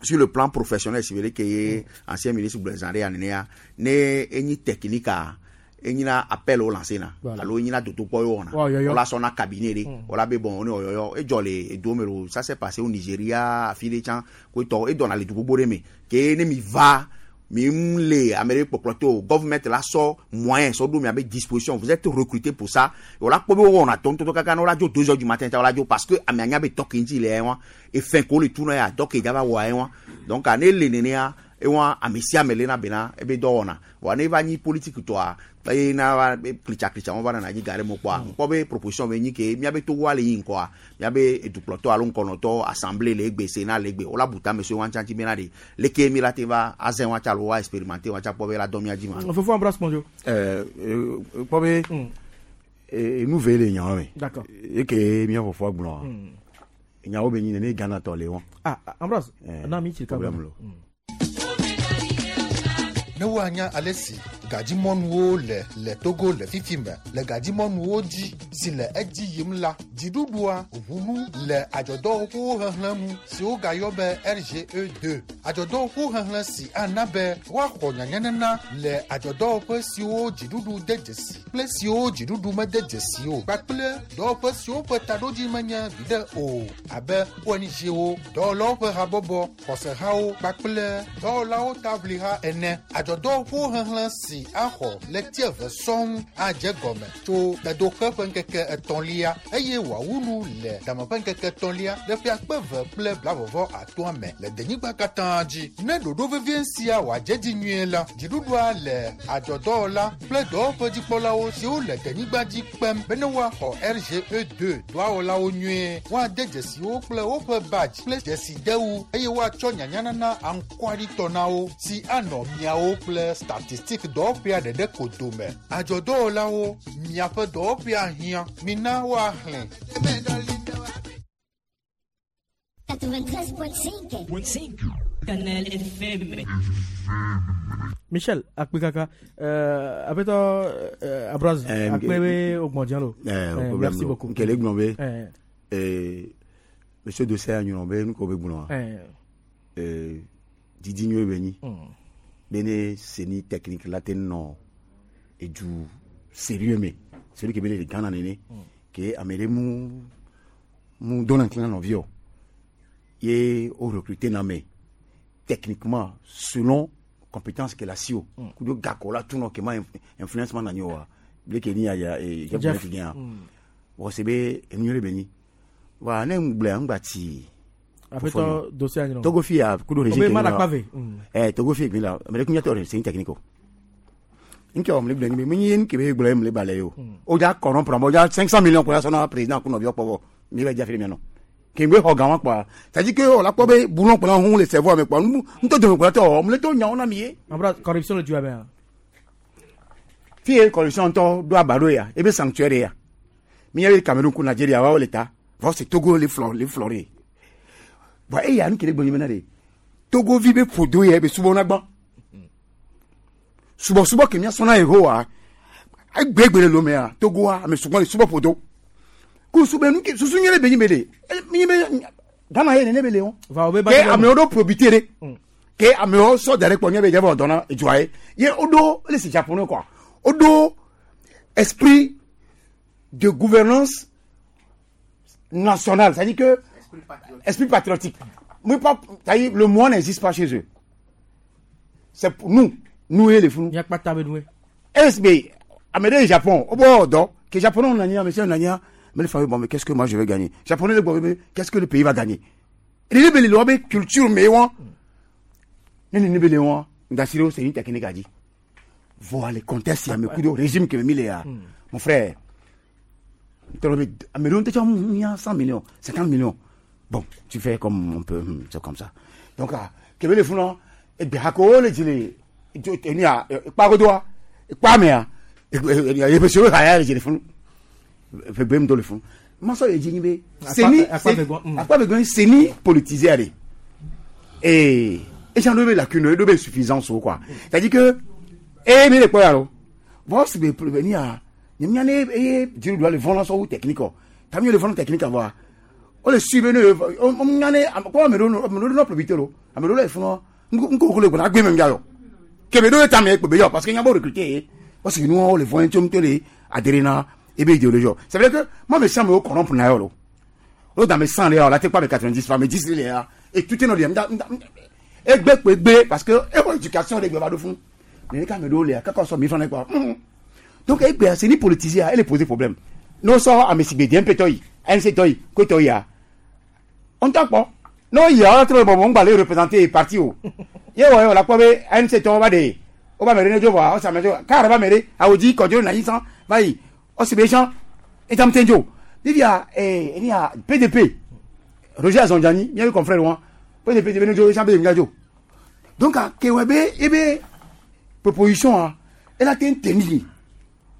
Speaker 11: sur le plan professionnel, si veut dire que ye ancien ministre gblɔ zã ɖe ya nenea, ne enyi technique a, enyina appel wo lancé na,
Speaker 27: Voilà.
Speaker 11: alo enyina dodokpɔ ye wɔna.
Speaker 27: Wa yɔyɔ.
Speaker 11: Wola sɔ na cabinet ɖe, wola be bon, ne wɔyɔyɔ, edzɔ le edo me lo, ça s'est passé au Nigeria, afi ɖe tsã, ko etɔ, edɔna le du gbogbo ɖe me. Ke ne mi va, mi ŋu le ame ɖe kpɔkplɔ to o, government la sɔ moyen sɔ ɖo miabe disposition, vous êtes recruté pour ça. Wola kpɔ be wowɔna dɔ ŋutɔtɔ kaka ne wola dzo 2 heures du matin ta wola dzo parce que amea nya be dɔ ke ŋuti le ya wa, efɛn ko le tu na ya, dɔ ke dza va wɔa ye wa. Donc ne le nenea, ewa ame sia ame lena bena ebe dɔ wɔna. Vɔa ne va nyi politique tɔa, eye na va be klitsa klitsa wɔn va nana dzi ga ɖe mo kpɔa, ŋkpɔ be proposition be nyi ke miabe Togoa le yi ŋkɔa, miabe edukplɔtɔ alo ŋkɔnɔtɔ assemblée le egbe, Sénat le egbe, wola bu tame so wa ŋutsa ŋuti bena ɖe leke mi la te va azẽ wa tsa alo wa expérimenter wa tsa kpɔ be la dɔ mia dzi ma.
Speaker 27: Fofo Ambroise Kpɔndzo.
Speaker 6: Kpɔ be enu ve le nyawo me.
Speaker 27: D'accord.
Speaker 6: Eke mía fofoa gblɔa, nyawo be nyi nene Ghana tɔ le wɔn.
Speaker 27: Ah, Ambroise, na mi tsi
Speaker 6: problème
Speaker 27: ka
Speaker 6: lo.
Speaker 18: Ne woanya ale si gadzimɔnuwo le le Togo le fifi me le gadzimɔnuwo dzi si le edzi yim la, dziɖuɖua ʋu nu le adzɔdɔwɔƒewo xexlẽ nu si wogayɔ be RGE2. Adzɔdɔwɔƒewo xexlẽ si ana be woaxɔ nyanyanana le adzɔdɔwɔƒe siwo dziɖuɖu de dzesi kple siwo dziɖuɖu mede dzesi o kpakple dɔwɔƒe siwo ƒe taɖodzi menye viɖe o abe ONG-wo, dɔwɔlawo ƒe habɔbɔ, xɔsehawo kpakple dɔwɔlawo taʋliha ene. Adzɔdɔwɔƒewo xexlẽ si axɔ ɣleti eve sɔŋ adze gɔme tso tedoxe ƒe ŋkeke etɔ̃lia eye wòawu nu le dame ƒe ŋkeke etɔ̃lia le ƒe akpe eve kple blavɔvɔ atɔ̃a me le denyigba katã dzi. Ne ɖoɖo vevie sia wòadze dzi nyuie la, dziɖuɖua le adzɔdɔwɔla kple dɔwɔƒedzikpɔlawo siwo le denyigba dzi kpem be ne woaxɔ RGE2 dɔwɔlawo nyuie, woade dzesiwo kple woƒe badge kple dzesidewu eye woatsɔ nyanyanana aŋkɔaɖitɔ na wo si anɔ miawo kple statistique dɔwɔƒea ɖeɖe ko dome. Adzɔdɔwɔlawo, miaƒe dɔwɔƒea hiã, mina woaxlẽ.
Speaker 5: 93.5. Canal FM.
Speaker 27: Michel, akpe kaka. Aƒetɔ Ambroise, akpe be wogbɔn lo.
Speaker 6: Problème
Speaker 27: Merci
Speaker 6: lo.
Speaker 27: beaucoup.
Speaker 6: Nkele gblɔ be, monsieur Dosseh anyrɔ be nu ko be gblɔa, didi nyuie be nyi. Be ne CENI technique la te nɔ edu sérieux me, celui qui be le Ghana nene, ke ame ɖe mu mu dona ŋkli na nɔviwo. Ye wo recruter na me techniquement selon compétence ke la si o. Kudo gakɔ la tunu ke ma influence ma na nyi oa. Bleke ni ya ya Jeff
Speaker 27: Jeff.
Speaker 6: Bleke gɛn. Bon, c'est be enu nyuie be nyi. Wa ne ŋgblẽ ŋgba tsi.
Speaker 27: Aƒetɔ Dosseh anyrɔ.
Speaker 6: Togo fi ya kudo régime
Speaker 27: Obe
Speaker 6: ke
Speaker 27: ma
Speaker 6: la.
Speaker 27: la kpave.
Speaker 6: Togo fi gbe la. Ame ɖe kunya tɔ re CENI technique o. Nke wɔ mle gblẽ ni be menye nu ke be gblẽ mle ba le o. O dza corrompre amewo, o dza 500 millions kɔ ya sɔ na président ku nɔviwo kpɔ vɔ. Mi va dza fi ɖe mia nɔ. Ke ŋgbe xɔ ga wa kpɔa. C'est à dire que o la kpɔ be boulon kplɔ hu le cerveau me kpɔ. Nu ŋutɔ dome kplɔ tɔ wɔ mle to nyawo na mi ye.
Speaker 27: Ambroise, corruption le dua mea.
Speaker 6: Fi ye corruption ŋutɔ ɖo aba ɖo ya, ebe sanctuaire ya. Mi nya be Cameroun ku Nigeria wa wo le ta. Vɔ c'est Togo le flɔ le flɔre. Vɔ eya nu ke le gbɔ nyime na de. Togo vi be ƒodo ya be subɔ na gbɔ. Subɔsubɔ ke mía sɔna Yehowa, egbegbe le lomea, Togoa, ame sugbɔ le subɔ ƒodo. Ku subɛ nu ke susu nyuie le be nyi be de. Mi nyi be Ghana ye nene be le wɔn.
Speaker 27: Va wo be ba
Speaker 6: Ke
Speaker 27: ti
Speaker 6: amewo ɖo probité ɖe. Ke amewo sɔ da ɖe kpɔ nye be dze vɔ dɔna edzoa ye. Ye woɖo ele si japonais quoi. Woɖo esprit de gouvernance nationale, c'est-à-dire que esprit patriotique. Mais pas, c'est-à-dire le moi n'existe pas chez eux. C'est pour nous, nous et les fous.
Speaker 27: Mia kpata be nue.
Speaker 6: SB, Ame ɖe yi Japon, wo bɔ dɔ, ke Japonais nɔ anyi, ame sia nɔ anyia, mais le fa bon, mais qu'est-ce que moi je vais gagner? Japonais le gbɔ be, qu'est-ce que le pays va gagner? Nene be le le wobe culture me wa. Ne nene be le wa, ndasi ɖe wo seni technique dzi. Vɔa le contexte ya me kudo régime ke me mi le ya, mon frère, tɔlɔ be ame ɖewo ŋutɔ tsã nya 100 millions, 50 millions. Bon, tu fais comme on peut, c'est comme ça. Donc, ah, kebe le funu, egbe ha ko le dzi le, enu ya, kpagodoa, kpa mea, yeƒe siwo ha ya le dzi le funu. Ƒe gbe ŋutɔ le funu. Masɔ le dzi nyi be, seni, akpa vegbɔn, seni politisé ale. Et, et j'en ai lacune, eɖo be insuffisance o quoi. C'est-à-dire que, eh, mi le kpɔ ya lo. Bon, si be venir à, nye mía ne eye dziɖuɖua le vɔ̃ la sɔ wu technique o. Ta mi le vɔ̃ technique voa. O le suivre ne, o mía ne, kɔ ame ɖewo ame ɖewo nɔ probité lo. Ame ɖewo le funu, ŋku ko le gbɔna agbe me ŋdza yɔ. Kebe ɖo ta me kpe yɔ parce que nya bo recruter ye. Parce que nous on le vɔ̃ tso ŋutɔ le adhéré na ebe idéologie. C'est vrai que moi me sens me corrompre na yɔ lo. O dans mes 100 le la te pas me 90 pas me 10 le ya. Et tout est no le nda nda egbe kpe gbe parce que e wɔ éducation de gbe va ɖo fún. Ne ka me ɖo le kaka sɔ mi fana quoi. Donc egbe c'est ni politisé elle pose problème. No sɔ ame si gbe DMP tɔ yi, ANC tɔ yi, ko tɔ yi ya. On t'a kpɔ. No yi ya trɔ bɔ mo ŋgba le représenter parti o. Ye wɔ ye la kpɔ be ANC tɔ va de. O ba me ɖe ne dzo vɔa, o sa me dzo. Car va me ɖe, awodzi kɔdzo na yi san va yi. O si be jean etam tenjo. Vivia eh ni a PDP. Roger Azondjani, mi confrère wa. PDP de ne dzo jean be dzo. Donc a kewebe ebe proposition a elle a été tenue.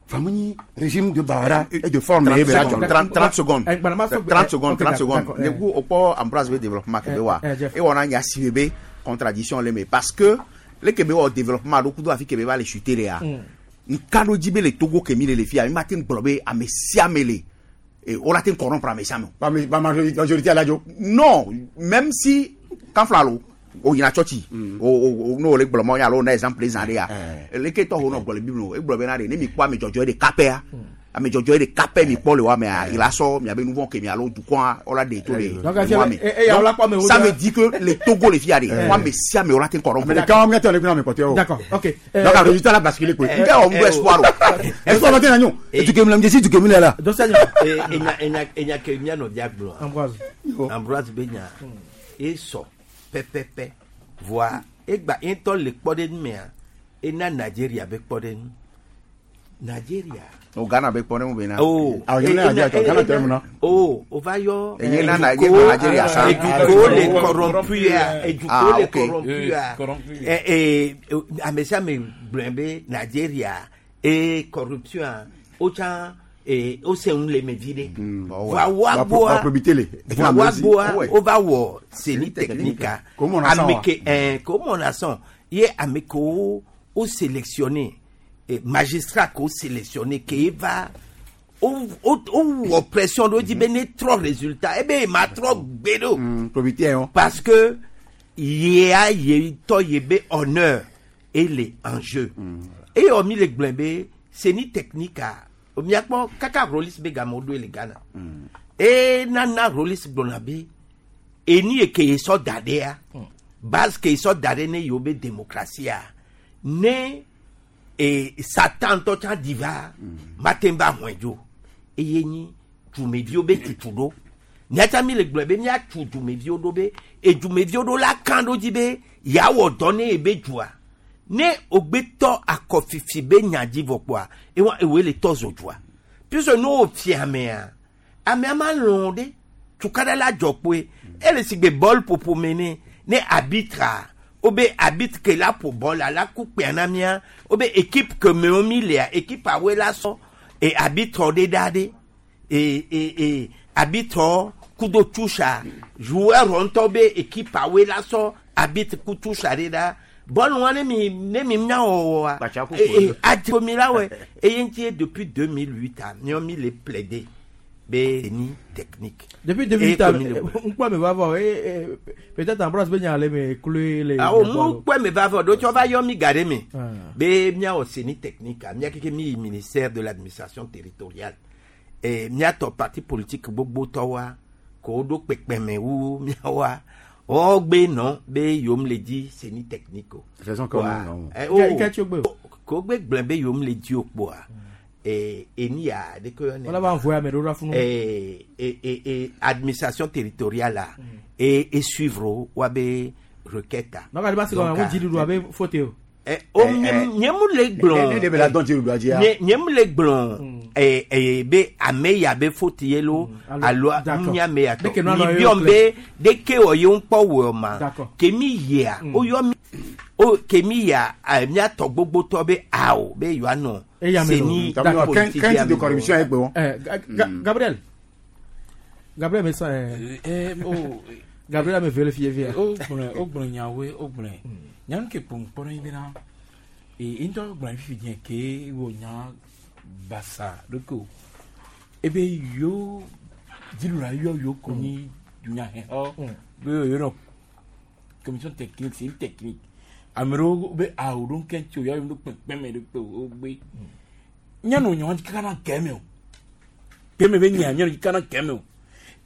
Speaker 6: Vraiment régime de Bahara et de forme
Speaker 11: 30 30 secondes. 30 secondes, 30 secondes. Ne ku o kpɔ Ambroise be développement kebe wa. Et on a nya si be contradiction le me parce que le kebe wɔ développement ɖo kudo afi kebe va le chuter le ya. Nka ɖo dzi be le Togo ke mi le le fia, mi ma te gblɔ be ame sia ame le. Et on a te corrompre ame sia ame.
Speaker 6: Ba majorité à la jo.
Speaker 11: Non, même si quand flalo o yina tsɔtsi o o n'o le gblɔ mɔ ya alo na exemple zã ɖe ya leke tɔ ho nɔ gblɔ le bible o egblɔ bena ɖe ne mi kpɔ ame dzɔdzɔe ɖeka pɛa ame dzɔdzɔe ɖeka pɛ mi kpɔ le wa mea yi la sɔ miabe nu vɔ ke mi alo dukɔa wala ɖe to le nua me. Donc ça veut dire que le Togo le fia ɖe ame sia ame wala te kɔrɔ.
Speaker 6: Mais quand on a ame kpɔtɔe o.
Speaker 27: D'accord, ok.
Speaker 6: Donc a résultat la basculé quoi. Nke wɔ ŋu espoir o. Espoir ma te na nyo. Etu ke mi la mi desi tu ke mi le la.
Speaker 27: Donc ça
Speaker 4: Enya enya enya ke mia nɔvia gblɔa.
Speaker 27: Ambroise.
Speaker 4: Ambroise be nya. Esɔ pɛpɛpɛ. Voa egba ŋutɔ le kpɔ ɖe mea, ena Nigeria be kpɔ ɖe nu. Nigeria.
Speaker 11: O Ghana be kpɔ ɖe nu bena.
Speaker 4: Oh.
Speaker 6: Awɔ nye na Nigeria tɔ, Ghana tɔ ye mun na.
Speaker 4: Oh, o va yɔ.
Speaker 11: Enye na Nigeria sa.
Speaker 4: Eduko le corrompu ya. Eduko
Speaker 11: Ah,
Speaker 4: le
Speaker 11: ok.
Speaker 4: corrompu ya. Eh eh ame sia ame gblɔe be Nigeria e corruption a o tsã eh o se ŋu le me vi ɖe. Voa woa gbɔa.
Speaker 6: Ba probité le.
Speaker 4: Voa woa gbɔa o va wɔ seni technique a.
Speaker 6: Ko mɔna sɔn wa.
Speaker 4: Ame ke eh ko mɔna sɔn ye ame kewo o sélectionné eh, magistrat ko sélectionné ke va o o o wɔ pression ɖo dzi be ne trɔ résultat ebe ma trɔ gbe ɖo.
Speaker 6: Probité yɔ.
Speaker 4: Parce que yea ye tɔ ye be honneur ele en jeu. Eye wɔ mi le gblɔe be seni technique a miakpɔ kaka Rollis be game woɖoe le Ghana. E nana Rollis gblɔna be eni ye ke ye sɔ da ɖea base ke ye sɔ da ɖe ne yewo be démocratie a ne e Satan tɔ tsã di va mate ŋu va hɔe dzo eye nyi dumeviwo be tutu ɖo miatsa mi le gblɔe be miatu dumeviwo ɖo be edumeviwo ɖo la kan ɖo dzi be yeawɔ dɔ ne ye be dua ne ogbetɔ akɔfifi be nya dzi vɔ kpoa ewa ewoe le tɔ zo dua puisque ne wo fia amea amea ma lɔn ɖe tukaɖa la dzɔ kpoe ele si gbe bɔl ƒoƒo me ne ne arbitre o be arbitre ke la ƒo bɔl la ku kpea na mía o be équipe ke me wo mi lea équipe awoe la sɔ e arbitre ɖe ɖa ɖe e e e arbitre kudo tusa joueur ŋutɔ be équipe awoe la sɔ arbitre ku tusa ɖe ɖa bɔl wa ne mi ne mi nya wɔwɔa e e adzro mi la wɔ eye ŋuti ye depuis 2008 a miɔ mi le plaider be ni technique.
Speaker 27: Depuis 2008 a ŋkpɔ me va vɔ eh peut-être Ambroise be nya le me kloe le.
Speaker 4: Awo mu kpɔ me va vɔ ɖo tsɔ va yɔ mi ga ɖe me be miawɔ seni technique a mia keke mi yi ministère de l'administration territoriale e miatɔ parti politique gbogbo tɔwoa ko wo ɖo kpekpeme wu miawoa wɔgbe nɔ be yom le dzi seni technique o.
Speaker 6: Faisons comme nous.
Speaker 4: Eh, oh, ko gbe gblẽ be yom le dzi o kpoa. eni ya de ko
Speaker 27: Wala ba envoyer ame ɖewo ɖo afunu.
Speaker 4: Administration territoriale la et suivre wa be requête a.
Speaker 27: Nɔka de ba se gɔmɛ,
Speaker 4: Donc,
Speaker 27: mo dziɖuɖu abe faute o.
Speaker 4: O nye mu le gblɔ.
Speaker 6: Ne de be la dɔn dziɖuɖua dzia.
Speaker 4: Nye mu le gblɔ be ame ya be faute ye lo alo
Speaker 27: D'accord.
Speaker 4: nye ame ya tɔ.
Speaker 27: Ɖeke nua
Speaker 4: Mi
Speaker 27: nɔ ye
Speaker 4: biɔ
Speaker 27: wo
Speaker 4: be ɖeke wɔ ye ŋkpɔ wɔ ma.
Speaker 27: D'accord.
Speaker 4: Ke mi yia o yɔ mi o ke mi yia miatɔ gbogbotɔ be awo be yewoanɔ
Speaker 27: Eya me lo.
Speaker 4: seni
Speaker 27: D'accord.
Speaker 4: politique
Speaker 6: Quinte
Speaker 4: ya
Speaker 6: de
Speaker 4: me
Speaker 6: corruption
Speaker 4: lo.
Speaker 6: ye gbe wɔn.
Speaker 27: Gabriel. Gabriel me sɔn
Speaker 2: o
Speaker 27: Gabriel ame vele fie fie.
Speaker 2: O gblɔ nyawoe o gblɔe nyanu ke kpɔ ŋkpɔ ɖe bena ee ŋutɔ gblɔ fifi diɛ ke wɔ nya basa ɖeke o ebe yo dziɖula yɔ yo ko nyi dunyahexɔ be yo nɔ commission technique, c'est une technique, ame ɖewo be awo ɖo ŋkɛ tsi o yɔ ɖo kpekpeme ɖe kpe o gbe nyanu nyawo kaka na kɛmɛ o kɛmɛ be nya nyanu kaka na kɛmɛ o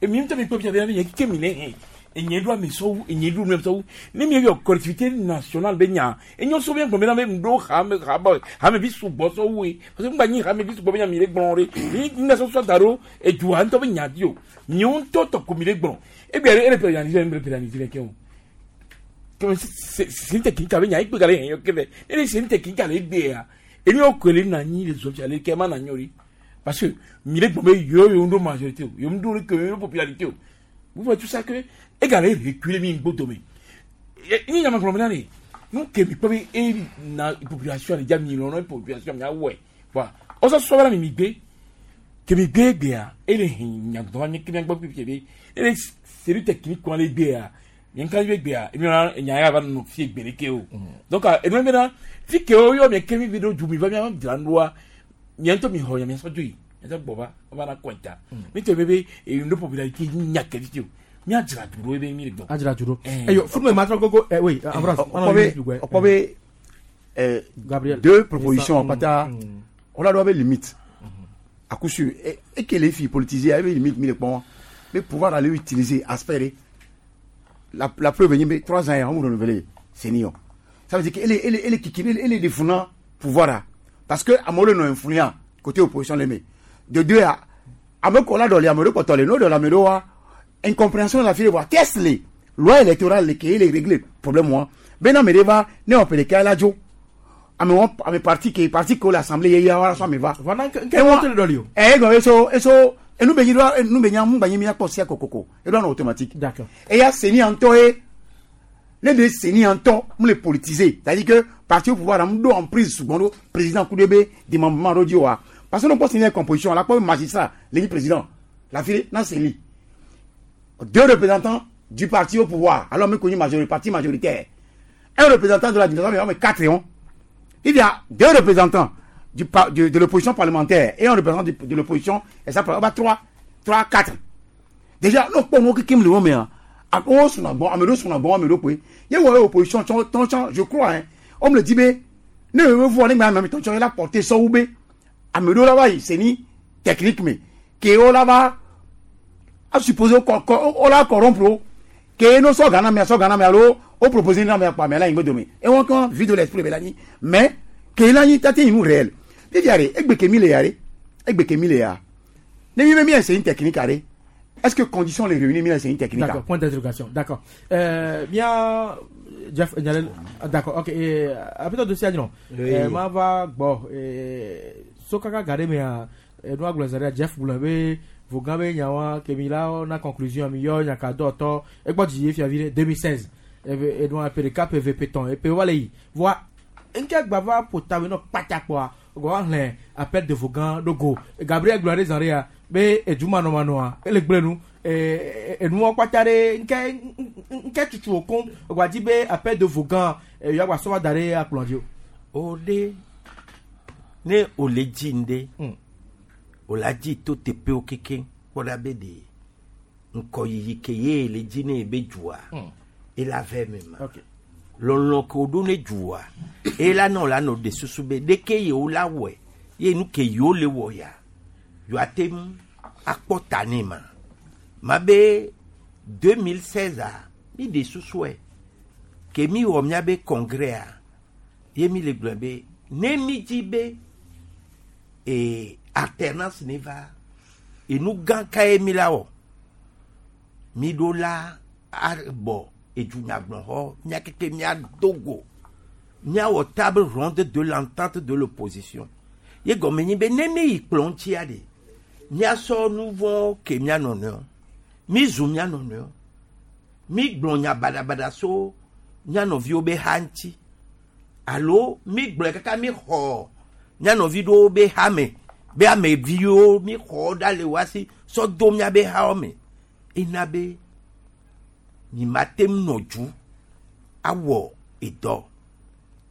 Speaker 2: emi ŋutɔ mi kpɔ fia be nye keke mi ne hɛn enye ɖo ame sɔwu enye ɖo ame sɔwu ne mi yɔ collectivité nationale be nya enye sɔ be gbɔn be na be ŋɖo hame hame hame vi sugbɔ sɔwu ye parce que ŋgba nyi hame vi sugbɔ be nya mi le gblɔ ɖe mi ŋgba sɔsɔ da ɖo edua ŋutɔ be nya di o miawo ŋutɔ tɔ ko mi le gblɔ egbe ele pénaliser ele pénaliser kɛ o kɛmɛ sen tɛ kin ka be nya egbe gale hɛn yɔ kɛfɛ ne de sen tɛ kin ka le egbe ya enu yɔ kele na nyi le zɔ fia le kɛ ma na nyɔ ri parce que mi le gbɔn be yɔ yɔ ŋɖo majorité o yɔ ŋɖo le ke yɔ popularité o. Vous voyez tout ça que égalé reculer mi ngbo dome ni nyama gblɔ na ne nu ke mi kpɔ be e na population le dza mi lɔ population mi awɔe voilà ɔsɔ sɔ bɛ mi mi gbe ke mi gbe gbea ele hin nyagblɔ mi ke mi gbɔ pipi be ele série technique kɔn le gbea mi nka be gbea emi na nya ya va nɔ fie gbe ɖeke o. Donc enu mi na fi ke wo yɔ mi ke mi vi ɖo du mi va mi ama dzra nua mia ŋutɔ mi xɔ nya mi sɔ dzo yi mi sɔ gbɔ va va na kɔnta mi tɔ be be enu popularité nya ke fi o mi adzra du ɖo ebe mi le gbɔ.
Speaker 27: Adzra du ɖo. Eyo funu me ma trɔ gogo ɛ oui Ambroise.
Speaker 6: Ɔkpɔ be
Speaker 27: Gabriel.
Speaker 6: Deux propositions kpata wala dɔ bɛ limite à coup sûr et que les filles politisées ebe limite mi le kpɔn be pouvoir aller utiliser aspect de la preuve nyi be 3 ans yɛ an renouveler senior, ça veut dire que ele kiki ele de funa pouvoir a parce que amewo le nɔ influent côté opposition le me de deux a ame kɔ la dɔ le ame ɖe kpɔtɔ le n'o dɔ le ame ɖewo wa incompréhension la fi le wa test le loi électorale le ke ele régler problème wa bena ame ɖe va ne wɔ ƒe ɖeka la dzo ame wɔ ame parti ke parti ke wo le assemblée ye ya wa sɔ ame va.
Speaker 27: Voilà nke wɔn tele dɔ li o.
Speaker 6: Ɛ egɔn eso eso enu be nyi do enu be nya mu gba nyi mi akpɔ sia kokoko eɖo anɔ automatique.
Speaker 27: D'accord.
Speaker 6: Eya seni ŋutɔ ye ne de seni ŋutɔ mu le politiser, c'est à dire que parti au pouvoir am do emprise sugbɔn ɖo président ku ɖe be démembrement ɖo dzi wa parce que ne kpɔ seni yɛ composition la kpɔ be magistrat le nyi président la fi na seni deux représentants du parti au pouvoir, alors mi ko nyi majorité parti majoritaire, un représentant de l'administration, mais quatre et il y a deux représentants de l'opposition parlementaire et un représentant de l'opposition, et ça va 3, 3, 4. Déjà, nous pouvons nous qui le mais on son bon, amelo son bon, amelo oui. Il y a opposition, ton je crois hein. On me le dit mais ne me voit les même ton il a porté ça ou b. Amelo là-bas, c'est ni technique mais que on là-bas a supposé qu'on l'a corrompre que nous sommes Ghana mais so Ghana mais alors on propose une mais pas mais là il me donne et on quand vide de l'esprit mais que là il tâté nous réel. Puis yare egbe ke mi le yare egbe ke mi le ya ne mi mi c'est une technique arrêt. Est-ce que conditions les réunir mi c'est une technique?
Speaker 27: D'accord, point d'interrogation. D'accord. Bien Jeff d'accord. OK, après dossier non. Ma va bon sokaka gare me a no agblɔ Jeff gblɔ be vogan be nyawa ke mi la na conclusion mi yɔ nyaka dɔ tɔ egbɔ dzi ye fiavi 2016 ebe enua PDK PVP tɔn epe wale yi voa nke gbava ƒotawe nɔ kpatakpɔa gɔ hlẽ appel de vogan ɖo go Gabriel gblɔ ɖe zã ɖe ya be edumanɔmanɔa ele gblẽ nu enuwɔ kpata ɖe nke nke tutu wo koŋ gba dzi be appel de vogan yɔ agba sɔ va da ɖe akplɔ dzi o.
Speaker 4: O ɖe ne o le dzi ŋɖe o la dzi to teƒewo kekeŋ kpɔ ɖa be ɖe ŋkɔyiyi ke ye le dzi ne be dzua ela vɛ me ma. Lɔlɔ ke wo ɖo ne dzua ela nɔ la nɔ de susu be ɖeke yewo la wɔe ye nu ke yewo le wɔ ya yewoa te ŋu akpɔ ta ne ma ma be 2016 a mi de susue ke mi wɔ miabe congrès a ye mi le gblɔ be ne mi dzi be e alternance ne va enu gã kae mi la wɔ mi ɖo la abɔ edunyagblɔxɔ mía keke mía do go míawɔ table ronde de l'entente de l'opposition. Ye gɔme nyi be ne mi yi kplɔ ŋutia ɖe míasɔ nu vɔ ke mía nɔnɔewo mi zu mía nɔnɔewo mi gblɔ nya baɖabaɖa so mía nɔviwo be ha ŋuti alo mi gblɔe kaka mi xɔ mía nɔvi ɖewo be ha me be ameviwo mi xɔ ɖa le wa si sɔ do mía be hawo me. Ena be mi ma te ŋu nɔ dzu awɔ edɔ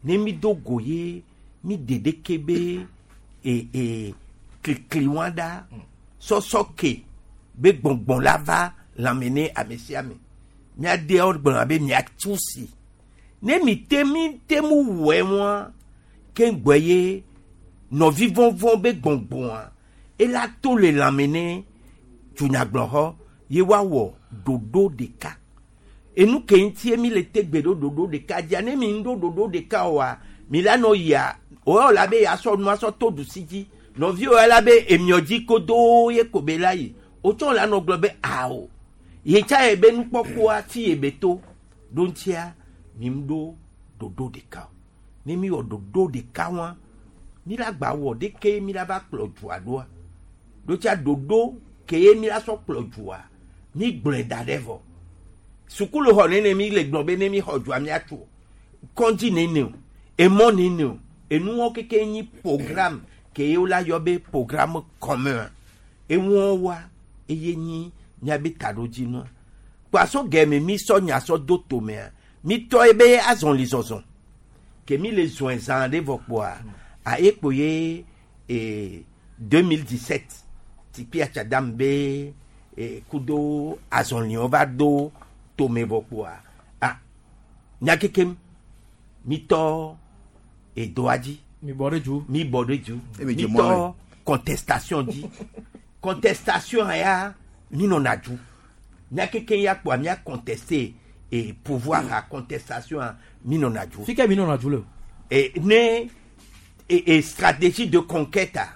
Speaker 4: ne mi do go ye mi de ɖeke be e e klikli wa ɖa sɔsɔ ke be gbɔngbɔn la va lãme ne ame sia ame. Míadeawo gblɔna be miatu si. Ne mi te mi te mu wɔe ŋua ke gbɔ ye nɔvi vɔvɔ be gbɔngbɔa ela to le lãme ne dunyagblɔxɔ ye woawɔ ɖoɖo ɖeka. Enu ke ŋutie mi le te gbe ɖo ɖoɖo ɖeka dzia ne mi ŋu ɖo ɖoɖo ɖeka oa mi la nɔ yia o la be yasɔ nua sɔ to ɖusi dzi. Nɔviwo la be emiɔ dzi kodo ye ko be la yi. Wotsɔ la nɔ gblɔ be awo ye tsa ye be nukpɔkpɔa ti ye be to. Ɖo ŋutia mi ŋu ɖo ɖoɖo ɖeka o. Ne mi wɔ ɖoɖo ɖeka wa mi la gba wɔ ɖeke mi la va kplɔ dua ɖoa. Ɖo tsa ɖoɖo ke ye mi la sɔ kplɔ dua mi gblɔe da ɖe vɔ. Sukulu xɔ nene mi le gblɔ be ne mi xɔ dua miatso kɔndzi nene o emɔ nene o enuwo keke nyi programme ke ye wola yɔ be programme commun. Eŋuwo wa eye nyi miabe taɖodzinua kpaso gɛmɛ mi sɔ nya sɔ do tomea mi tɔ ye be azɔli zɔzɔ ke mi le zɔn zã ɖe vɔ kpoa a ye kpo ye e 2017 tipi atsadam be e kudo azɔliwo va do tome vɔ kpoa a nya kekem mi tɔ edoa dzi.
Speaker 27: Mi bɔ ɖe dzu.
Speaker 4: Mi bɔ ɖe dzu. Mi tɔ contestation dzi. Contestation ya mi nɔna dzu. Nya keke ya kpoa mia contester e pouvoir a contestation a mi nɔna dzu.
Speaker 27: Fi ke mi nɔna dzu le?
Speaker 4: E ne e, e stratégie de conquête a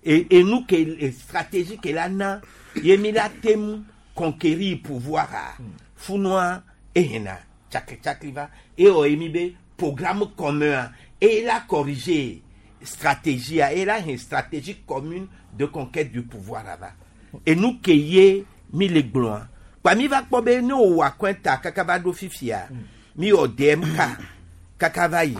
Speaker 4: e enu ke e stratégie ke la na ye mi la tem conquérir pouvoir a funua ehena tsakli tsakli va. E wɔ ye mi be programme commun a e la corriger stratégie a e la hen stratégie commune de conquête du pouvoir a va. Enu ke ye mi le gblɔa kpa mi va kpɔ be ne wòwɔ akɔnta kaka va ɖo fifia mi wɔ DMK kaka va yi.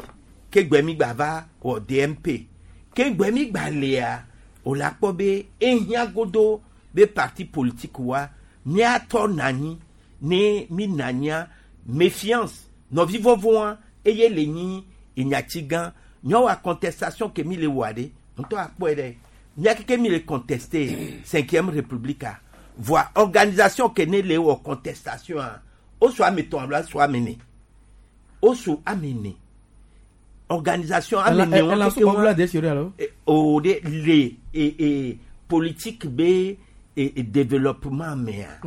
Speaker 4: Ke gbe mi gba va wɔ DMP ke gbe mi gba lea o la kpɔ be ehiã godo be parti politique wa miatɔ nanyi ne mi nanyia méfiance nɔvi vɔvɔa eye le nyi enyatsi gã. Nyɔwɔ contestation ke mi le wɔa ɖe ŋutɔ akpɔe ɖe. Mia keke mi le contester cinquième république a. Voa organisation ke ne le wɔ contestation a o so ame tɔn alo so ame ne. O so ame ne. Organisation ame ne
Speaker 27: wɔn keke wɔn
Speaker 4: o de le e e politique be e, e développement mea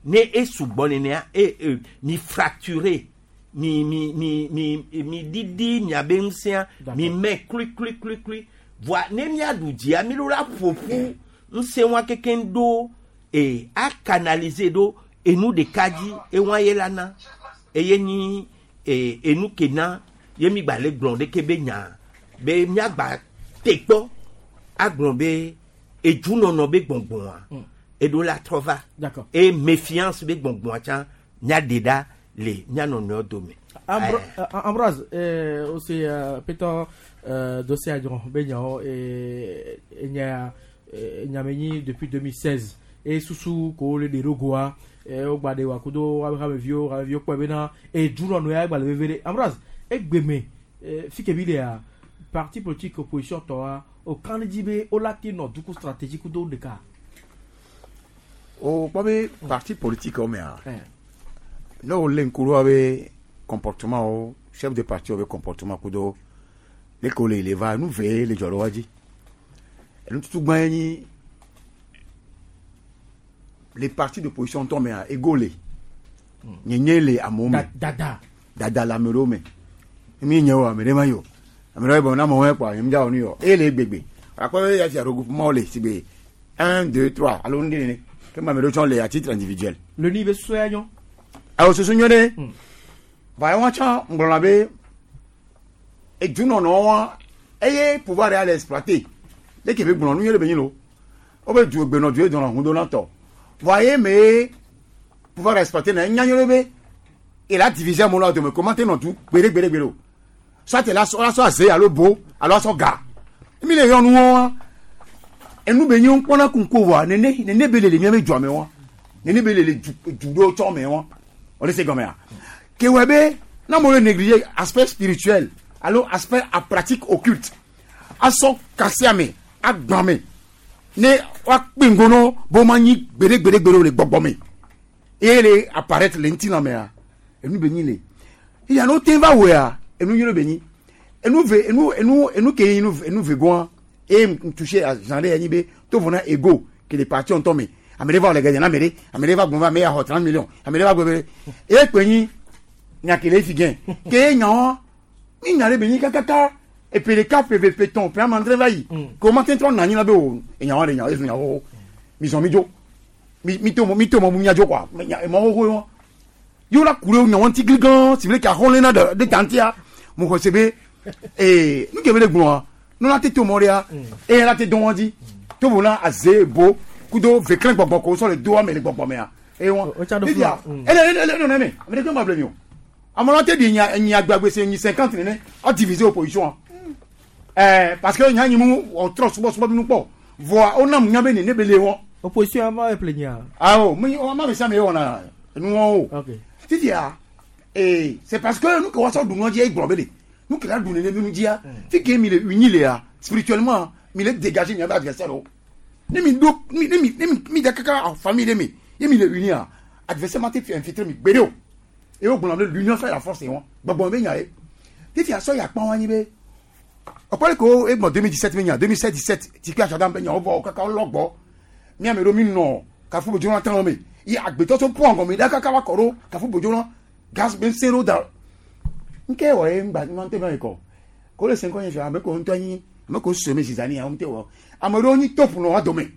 Speaker 4: ne e sugbɔ nenea e e mi fracturé mi mi mi mi mi didi miabe ŋusẽa mi mɛ klui klui klui klui. Voa ne miaɖu dzia mi ɖo la ƒoƒu ŋusẽ wa kekeŋ ɖo e a canaliser ɖo enu ɖeka dzi ewa ye la na. Eye nyi e enu ke na ye mi gba le gblɔ ɖeke be nya be miagba te kpɔ agblɔ be edunɔnɔ be gbɔngbɔa eɖo la trɔ va. E méfiance be gbɔngbɔa tsã miaɖe ɖa le mia nɔnɔewo dome.
Speaker 27: Ambroise, aussi Peter dossier adron benyawo enya nyamenyi depuis 2016 e susu ko le de rogoa o gba de wa kudo wa hameviwo hameviwo kpɔ bena e dunɔnɔ ya gba le veve ɖe. Ambroise egbeme fike bi lea parti politique opposition tɔa o kan dzi be o la te nɔ duku stratégie kudo ɖeka.
Speaker 6: O kpɔ be parti politique wo mea ne wo lé ŋku ɖo be comportement wo chef de parti wo be comportement kudo leke wo le le va nu ve le dzɔ ɖe wa dzi. Enu tutu gbã ye nyi les partis d'opposition ŋutɔ mea ego le. Nyenye le amewo me.
Speaker 27: Dada.
Speaker 6: Dada le ame ɖewo me. Mi nye o ame ɖe ma yi o. Ame ɖewo bɔ na amewo kpɔa nye dza wɔ nu yɔ eye le gbegbe. Akpɔ be ya fia regroupement le si be 1 2 3 alo nu ɖe nene. Ke ma me ɖo tsɔ le à titre individuel.
Speaker 27: Le ni be susu ya nyɔ.
Speaker 6: Awo susu nyɔ ɖe. Va ye wɔn tsã ŋgblɔna be edunɔnɔ wa eye pouvoir ya le exploiter. Leke be gblɔ nu nyɔ ɖe be nyi lo. Wobe du gbenɔ du edɔnɔ hun do na tɔ. Vɔa ye me pouvoir exploiter na enya nyɔ ɖe be il a divisé amewo le dome comment te nɔ du gbeɖe gbeɖe gbeɖe o. Soit la sɔ la sɔ aze alo bo alo asɔ ga. Mi le yɔ nuwo wa. Enu be nyi ŋkpɔna kunko vɔa nene nene be le le miabe dua me wa. Nene be le le du du ɖewo tsɔ me wa. Wole se gɔmea. Ke wɔ be na amewo le négliger aspect spirituel alo aspect a pratique occulte asɔ kasia me agbã me ne woakpe ŋgo be womanyi gbeɖe gbeɖe gbeɖe o le gbɔgbɔ me eye le apparaître le ŋutilã mea enu be nyi le eya ne wote va wɔea enu nyui be nyi enu ve enu enu enu ke enu enu ve goa eye ŋutuse azã ɖe anyi be to vo na ego ke le parti ŋutɔ me ame ɖe va le gɛdɛ na ame ɖe ame ɖe va gbɔn va ame ya xɔ 30 millions ame ɖe va gbɔ be eye kpe nyi nya ke le fi gɛn ke ye nyawo mi nya ɖe be nyi kakaka eƒe ɖeka ƒe eve ƒe tɔn ƒe ame adre va yi ke wo ma te trɔ nɔ anyi la be o enyawo ɖe nyawo ezu nyawo xoxo mi zɔn mi dzo mi mi to mi to mɔ bu mia dzo kɔa nya emɔ xoxo ye wɔn yewo la ku ɖe nyawo ŋuti gligã si be ɖeke axɔ lena ɖe ɖe ta ŋutia mo xɔ se be ee nu ke be le gblɔa ne la te to mɔ ɖea eye la te dɔn wɔn dzi to bo na aze bo kudo veklẽ gbɔgbɔ ko sɔ le do ame le gbɔgbɔ mea eye wɔn fifia ele ele ele nɔnɔ me ame ɖeke ma ble mi o ame la te ɖi nya enyi agbagbe se enyi 50 nene a diviser opposition ɛɛ parce que nya nyi mu ɔtrɔ subɔsubɔ bi nu kpɔ vɔa wonam nya be nene be le wɔn.
Speaker 27: Opposition ama eple nya.
Speaker 6: Awo mi ama mi sia mi wɔna enuwɔn o. Fifia ee c'est parce que nu ke wɔsɔ ɖu nua dzia egblɔ be le nu ke la ɖu nene nu dzia fi ke mi le uni lea spirituellement mi le dégager miabe adversaire o ne mi ɖo mi ne mi ne mi mi da kaka famille ɖe mi ye mi le unia adversaire ma te fi infiltrer mi gbeɖe o eye wogblɔ be l'union fait la force wɔn gbɔgbɔ be nya ye fifia sɔ ya kpɔn anyi be ɔkpɔ ko egbɔ 2017 be nya 2017 17 tikpe atsɔdam be nya wovɔ kaka wolɔ gbɔ miame ɖo mi nɔ kafu bodzo na tán me ye agbetɔ tso pɔn gɔme ɖa kaka va kɔ ɖo kafu bodzo na gaz be ŋusẽ ɖo da nke wɔ ye ŋgba ŋgba ŋutɔ yi kɔ ko le se ŋkɔ nye fia ame ko ŋutɔ nyi ame ko sue me zizani ya ŋutɔ wɔ ame ɖewo nyi top nɔ wa dome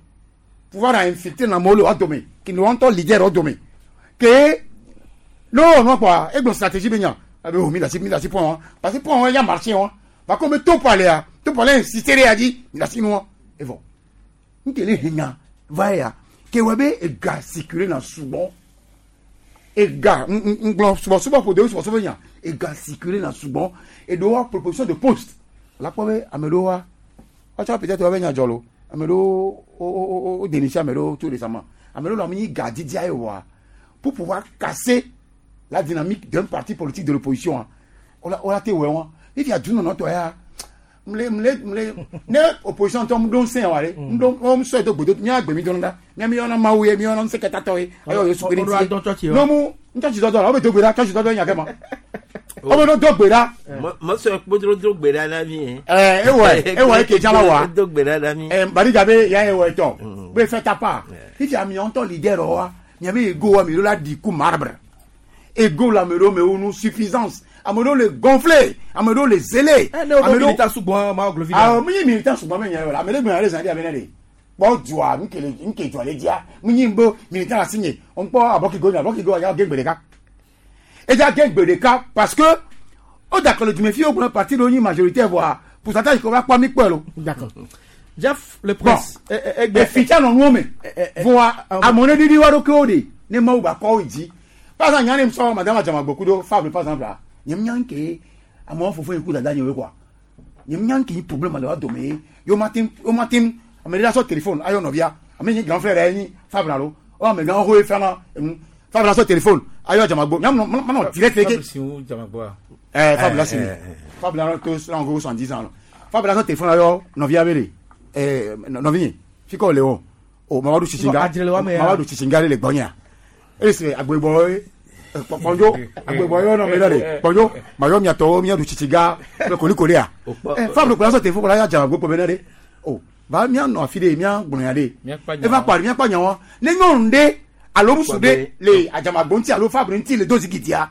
Speaker 6: pouvoir a infiltrer na amewo le wa dome ki ne wa ŋutɔ leader wa dome ke ne wowɔ nua kpɔa egblɔ stratégie be nya abe o mi da si mi da si pɔn wa parce que pɔn wa ya marché wa par contre be top alea top alea insisté ɖe ya dzi mi da si nua evɔ nke le henya va ya ke wɔ be ega circuler na sugbɔ ega ŋgblɔ subɔsubɔ ƒo de subɔsubɔ nya ega circuler na sugbɔ eɖewo wa proposition de poste la kpɔ be ame ɖewo wa woatsɔ peut-être woabe nya dzɔ lo ame ɖewo wo wo wo dénicher ame ɖewo tout récemment ame ɖewo le ame nyi ga didia ye wɔa pour pouvoir casser la dynamique d'un parti politique de l'opposition wola te wɔe wɔn fifia dunɔnɔ tɔ ya mle mle mle ne opposition tɔ mu ɖo ŋusẽ wa ɖe mu ɖo wo sɔe do gbodo mía gbe mi dɔn ɖa mía mi yɔna mawu ye mi yɔna ŋusẽ kɛtatɔ ye ayɔ yesu kristi ye ne mu tsɔtsi dɔdɔ la wo be do gbe ɖa tsɔtsi dɔdɔ nya kɛ ma wo be no do gbe ɖa.
Speaker 4: Mɔsɔ kpodro do gbe ɖa na mi.
Speaker 6: Ɛɛ ewɔ ewɔ eke dza la wa
Speaker 4: do gbe ɖa na mi.
Speaker 6: Ɛɛ barija be ya ewɔ etɔ be fɛ ta pa fifia mi ŋutɔ leader wa miabe ego wa mi ɖo la di ku marbre ego la ame ɖewo me wo nu suffisance ame ɖewo le gonflé ame ɖewo le zélé.
Speaker 27: Ne wo militant sugbɔ ma glo vi.
Speaker 6: Awɔ mi nyi militant sugbɔ mi nya yɔ la ame ɖe gbɛn ale zan di abe ne de kpɔ dua nke le nke dua le dzia mi nyi bo militant la si nye ŋkpɔ abɔkigo nye abɔkigo ya gé gbe ɖeka edza gé gbe ɖeka parce que o dakɔ le dumefi wo gblɔ parti ɖewo nyi majoritaire voa pourcentage ko va kpɔ mi kpɔe lo.
Speaker 27: D'accord. Jeff le prince.
Speaker 6: Bon efitsa nɔ nuwo me voa amewo ne ɖiɖi wa ɖokuiwo ɖe ne mawu ba kɔ wo dzi par exemple nya ne sɔ madame Adzamagbo kudo Fable par exemple la nye nya nke amewo fofo yi ku dada nye wo quoi nye nya nke problème le wa dome ye yo ma te yo ma te ame ɖe la sɔ téléphone ayɔ nɔvia ame nyi grand frère yɛ nyi Fable alo o ame gã xoxo ye fɛn enu Fable la sɔ téléphone ayɔ Adzamagbo nya ma nɔ direct ke ɛɛ Fable la sini Fable la to sɔn ko 70 ans Fable la sɔ téléphone ayɔ nɔvia be de ɛɛ nɔvi nye fi kɔ le o o Mamadu Tsitsinga Mamadu Tsitsinga le gbɔnyea ese agbegbɔ ye kpɔndzo agbegbɔ ye nɔ mi ɖe de kpɔndzo mayɔ miatɔwo miaɖu tsitsiga kple kolikolia ɛ Fable kplɔ sɔ telefon kplɔ ya dza gbogbo bena ɖe o va mianɔ afi ɖe miagblɔ ya ɖe eva kpa miakpa nyawo ne nyɔnu ɖe alo ŋutsu ɖe le Adzamagbo ŋuti alo Fable ŋuti le do zigidia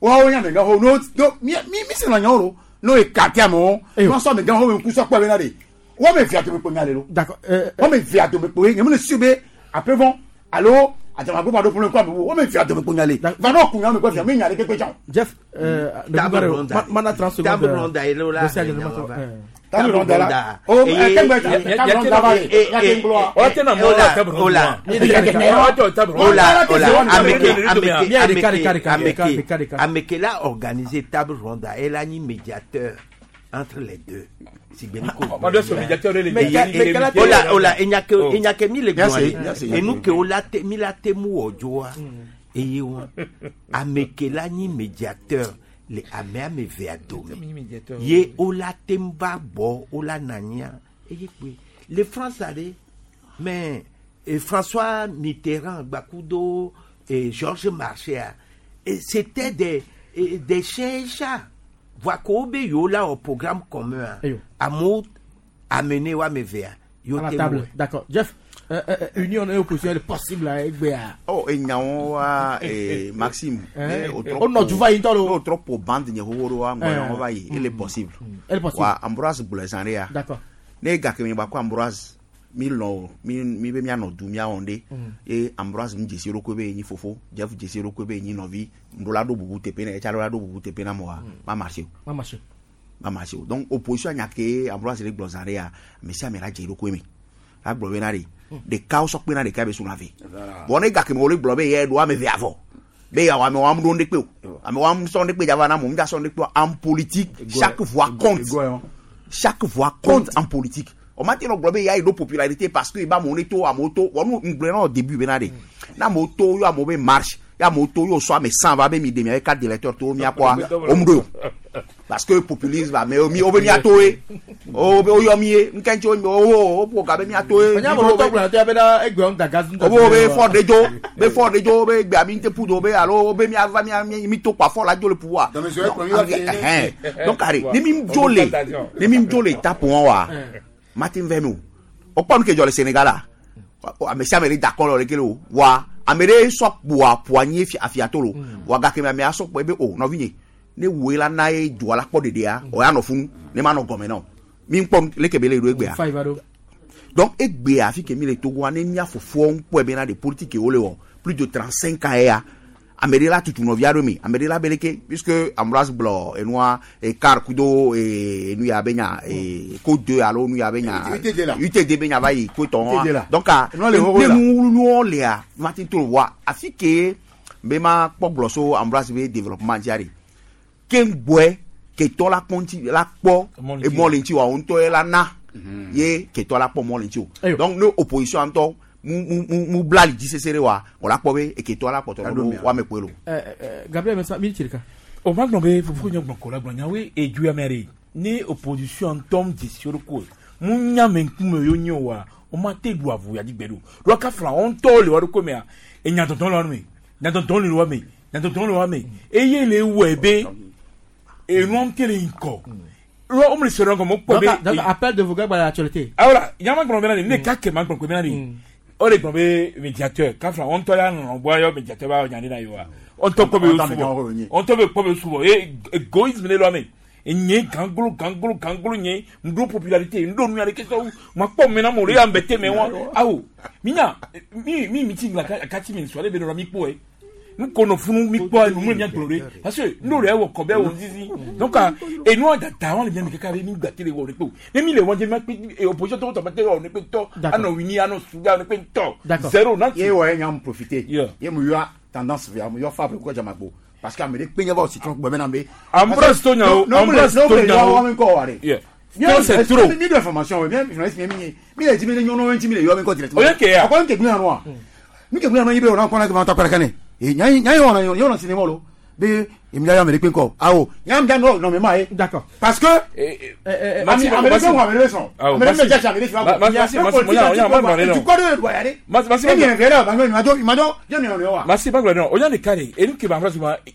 Speaker 6: woawo nye amegãxo no no mi mi mi sena nyawo lo no ekate amewo no sɔ amegãxo ŋku sɔ kpɔ bena ɖe Wɔme via dome kpo nya le lo.
Speaker 27: D'accord.
Speaker 6: Wɔme via dome kpo ye nye me le su be après vont alo adzamagbo ma ɖo problème kɔ amewo wɔme via dome kpo nya le. Va nɔ kun nya me kɔ fia me nya le kekpe tsã.
Speaker 27: Jeff,
Speaker 4: Table ronde.
Speaker 27: mana 30 secondes.
Speaker 4: Table ronde ye lo la.
Speaker 27: Dossier a jɛlɛma sɔrɔ.
Speaker 6: Table ronde la. O kɛngbɛ table ronde la ba ye. Ya ke ŋgblɔ.
Speaker 4: Ola. Ola, ola, ameke, ameke, ameke, ameke, ameke la organisé table ronde, elle a ni médiateur entre les deux. Sigbeniko.
Speaker 2: Ma doit médiateur le
Speaker 4: Ola, ola, enyake, enyake mi le gbɔn ye. Enu ke ola te, mi la te mu wɔ eye wɔn. Ameke la nyi médiateur le ame ame vea dome. Ye ola te va gbɔ, ola nanya. Eye kpe. Le France ale, mais et François Mitterrand, Bakudo et Georges Marchais, et c'était des chiens et chats. Voakobe yo là au programme commun. Amour amené wa mevea.
Speaker 27: À la table. D'accord. Jeff, union et opposition est possible à Egbea.
Speaker 11: Oh, et nyawo et Maxime.
Speaker 27: Oh non, tu vas y entendre.
Speaker 11: Oh, trop pour bande nyawo wa ngoyo va y, il est possible.
Speaker 27: Il est possible.
Speaker 11: Wa Ambroise Boulezanrea.
Speaker 27: D'accord.
Speaker 11: Ne gake mi ba ko Ambroise mi lɔ mi mi be mianɔ du miawɔ ɖe ye Ambroise mi dzesi ɖokui be nyi fofo Jeff dzesi ɖokui be nyi nɔvi ŋɖo la ɖo bubu teƒe na etsa la ɖo bubu teƒe na mɔa ma marché o.
Speaker 27: Ma marché.
Speaker 11: Ma marché o donc opposition nya ke Ambroise le gblɔ zã ɖe ya ame sia ame la dze ɖokui me la gblɔ be na ɖe ɖekawo sɔ kpe na ɖeka be suna ve bɔn ne gake me wòle gblɔ be yɛ ɖo ame ve avɔ be yawo ame wɔm ɖo ŋɖe o ame wɔm sɔ ŋɖe kpe dzava na mo ŋdza sɔ ŋɖe kpe en politique chaque voix compte chaque voix compte en politique. On m'a dit que il y a une popularité parce que il va monter à moto. On nous au début benade. Na moto yo a mauvais marche. Ya moto yo soit mais 100 va mi demi avec quatre directeurs to mi a quoi. On me parce que populisme va mais mi o mi a toé. O o yo mi nkencho o o po ka be mi a toé.
Speaker 27: Nya mo to gblɔ to be na egbe on daga
Speaker 11: O bo be fort de jo, be fort de jo be gbe ami nte pudo be alo be mi ava mi mi to pa fort la jo le pouvoir. Donc arrête, ni mi jolé. Ni mi jolé tape on wa. Martin Venu. O pon ke jole Sénégal la. Ame si amere d'accord le kele wa amere so boa poigné afiatolo. Wa ga ke me aso po be o no vinye. Ne we la na e do la po de dia o ya no fun ne ma no gome no. Mi npon le ke bele ro egbe a. Donc egbe a fi ke mi le Togo ane mi afofo npo e be na de politique o le o plus de 35 ans ya. Amere la tutu novia do mi amere la beleke puisque Ambroise blo et noir et car kudo et nous ya benya et ko deux alo nous ya benya UTD benya va yi ko ton donc a nous nous le a Martin to wa afike be ma po so Ambroise be développement diari kengboe ke to la konti la po et mo le nti wa on to la na ye ke to la po mo le nti donc nous opposition en to mu bla li disesere wa on la pobe e ke to la poto wa me pelo
Speaker 27: Gabriel Messa mi tirika
Speaker 2: o ma gblɔ be fofo nye gblɔ ko la gblɔ nyawoe edu amere ne opposition tom disio ko mu nya me nkume yo nyo wa o ma te du avu ya di gbedo lo ka fla on to le wa do ko me a e nya tonton lo me nya tonton le wa me nya tonton le wa me e ye le wo ebe e nu am tele nko lo o me se ron ko mo po be
Speaker 27: donc appel de vos gars à l'actualité
Speaker 2: ah voilà nya ma gblɔ be na ne ka ke ma gblɔ ko be na ni o le gblɔ médiateur ka fla on tɔ la nɔ bɔ yɔ médiateur ba nya na yo wa on tɔ ko be subo on tɔ be ko be subo e égoïsme le lo me nye ganglo ganglo ganglo nye ndo popularité ndo nu ya ke so ma kpɔ me na mo le ya mbete me wa awo minya mi mi meeting la ka ti mi so le be no mi kpo e nous connaissons mi kpo nu mi gblɔ re parce que nous le wo ko be wo zizi donc et nous data on le bien me ka be mi gba tele wo re pe ne mi le won je ma pe opposition to to ma tele wo ne pe to ano wini ano suga ne pe to zéro na
Speaker 6: ye wo nya profiter ye mu yo tendance via mu yo fa ko jamagbo parce que amere pe nya ba aussi tron gbe na be
Speaker 2: Ambroise to nya o Ambroise to nya
Speaker 6: o ko wa re
Speaker 2: non c'est trop
Speaker 6: mi de information bien journaliste mi mi le di mi le nyono mi le yo mi ko directement
Speaker 2: o ye ke ya
Speaker 6: ko nke gbe na no mi ke gbe na no yibe o na ko na ko ta para kane e nya nya yo na yo na cinéma lo be emi ya amere pe nko awo nya mi no no me ma e
Speaker 27: d'accord
Speaker 6: parce que amere ko amere son amere me ja amere fi tu ko de do ya re
Speaker 2: Maxime
Speaker 6: mi vera ba mi ma do mi do je mi no wa
Speaker 2: Maxime ba non o ya le carré et nous qui va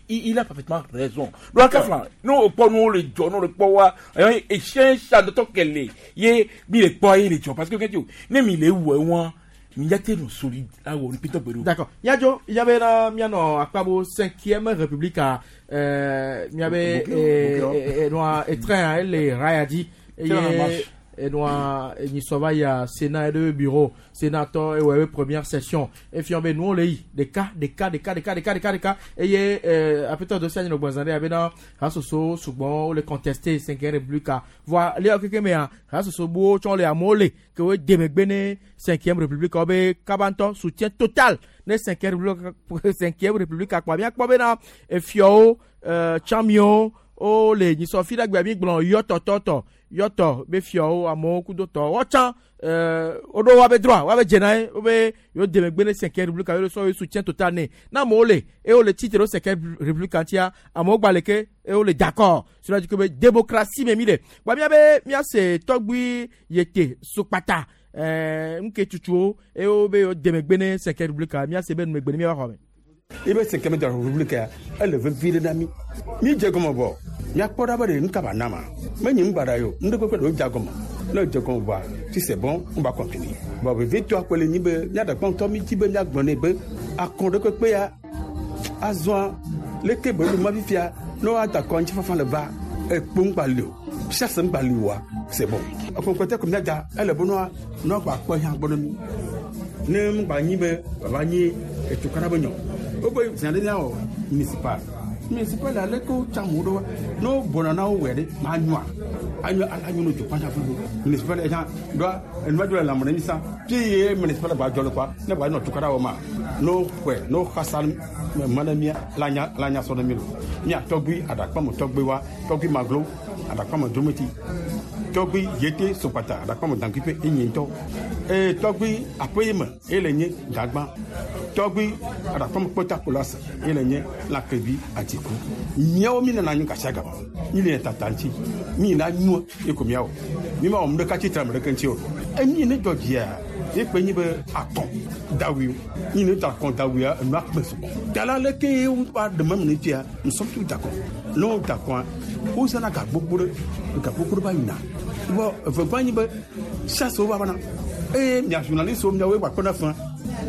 Speaker 2: il a parfaitement raison do ka flan no po no le jo no le po wa e chien chat de to kele ye mi le po ye le jo parce que que tu ne mi le wo won mi no solide awo ni Peter Bedo.
Speaker 27: D'accord. Yajo, il y avait la miano akpabo 5e République à mi avait et noir et train elle les rayadi et Enua enyisɔ va yia Sénat eɖe be bureau sénateur ewɔ ebe première session. Efiɔ be nuwo le yi ɖeka ɖeka ɖeka ɖeka ɖeka ɖeka ɖeka eye aƒetɔ do sia nyi nɔ gbɔzã ɖe abena hasoso sugbɔ wole contester cinquième république voa le keke mea hasoso buwo tsɔ le amewo le ke wo de megbe ne cinquième république wo be kaba ŋutɔ soutien total ne cinquième république cinquième république akpa miakpɔ bena efiɔwo tsamiwo wole nyisɔ fi ɖe gbea mi gblɔ yɔ tɔtɔtɔ yɔtɔ be fiɔwo amewo kudo tɔ wɔtsã woɖo woabe droit woabe dzena ye wobe yewo de megbe ne cinquième république yewo sɔ yewo soutien total ne na amewo le eye wole tsitre ɖo cinquième république ŋutia amewo gba le ke eye wole d'accord cela dit que be démocratie me mi le gba miabe miase tɔgbui yete sokpata nuke tutuwo eye wobe yewo de megbe ne cinquième république miase be numegbe ne miava xɔ me.
Speaker 7: Ibe cinquième de la république ya ele vevi ɖe na mi mi dze gɔme vɔ miakpɔ ɖa be ɖe nu ka ba na ma menyi nu baɖa yi o nu ɖe kpekpe ɖewo dze gɔme ne dze gɔme vɔa si c'est bon on va continuer bon vevitɔa koe le nyi be míaɖe kpɔntɔ mi dzi be míagblɔ nɛ be akɔn ɖe kpekpe ya azɔa leke be nu ma fifia ne woada akɔ ŋutifafa le va ekpo ŋgba li o chasse ŋgba li oa c'est bon akɔnkɔtɛ ko míada ele be nua nua gba kpɔ hã gbɔ ne mi ne ŋgba nyi be baba nyi etukara be nyɔ wobe zã ɖe míawɔ municipal municipal ale ko tsam wo ɖo wa ne wo bɔna na wo wɛ ɖe ma nyoa anyo ala nyo no dzokpata fufu municipal ɛhã ɖoa enua dzo le lãme ne mi sa fi ye municipal gba dzɔ le kɔa ne gba nɔ tukara wɔ ma no xɔe no xasa ma ne mia la nya la nya sɔ ne mi lo mia tɔgbui aɖakpame tɔgbui wa tɔgbui maglo aɖakpame drometi tɔgbui yete sopata aɖakpame dankuiƒe enye ŋutɔ eye tɔgbui aƒe me ele nye dagba tɔgbui aɖakpame kpɔta kolase ele nye lãkevi atiku miawo mi nana anyi kasia gama mi le tata ŋuti mi na nyua ye ko miawo mi ma wɔ nu ɖeka tsitre ame ɖeke ŋuti o emi ne dzɔ dzia ye kpe nyi be akɔn dawi mi ne da akɔn dawia enua kpe sɔgbɔ tala leke ye wa ɖe me ne tia nous sommes tous d'accord ne wo d'accord wo zãna ga gbogbo ɖe ga gbogbo ɖe va yina bɔn evegba nyi be chasse wo va vana eye mia journaliste wo miawoe gba kpɔna fã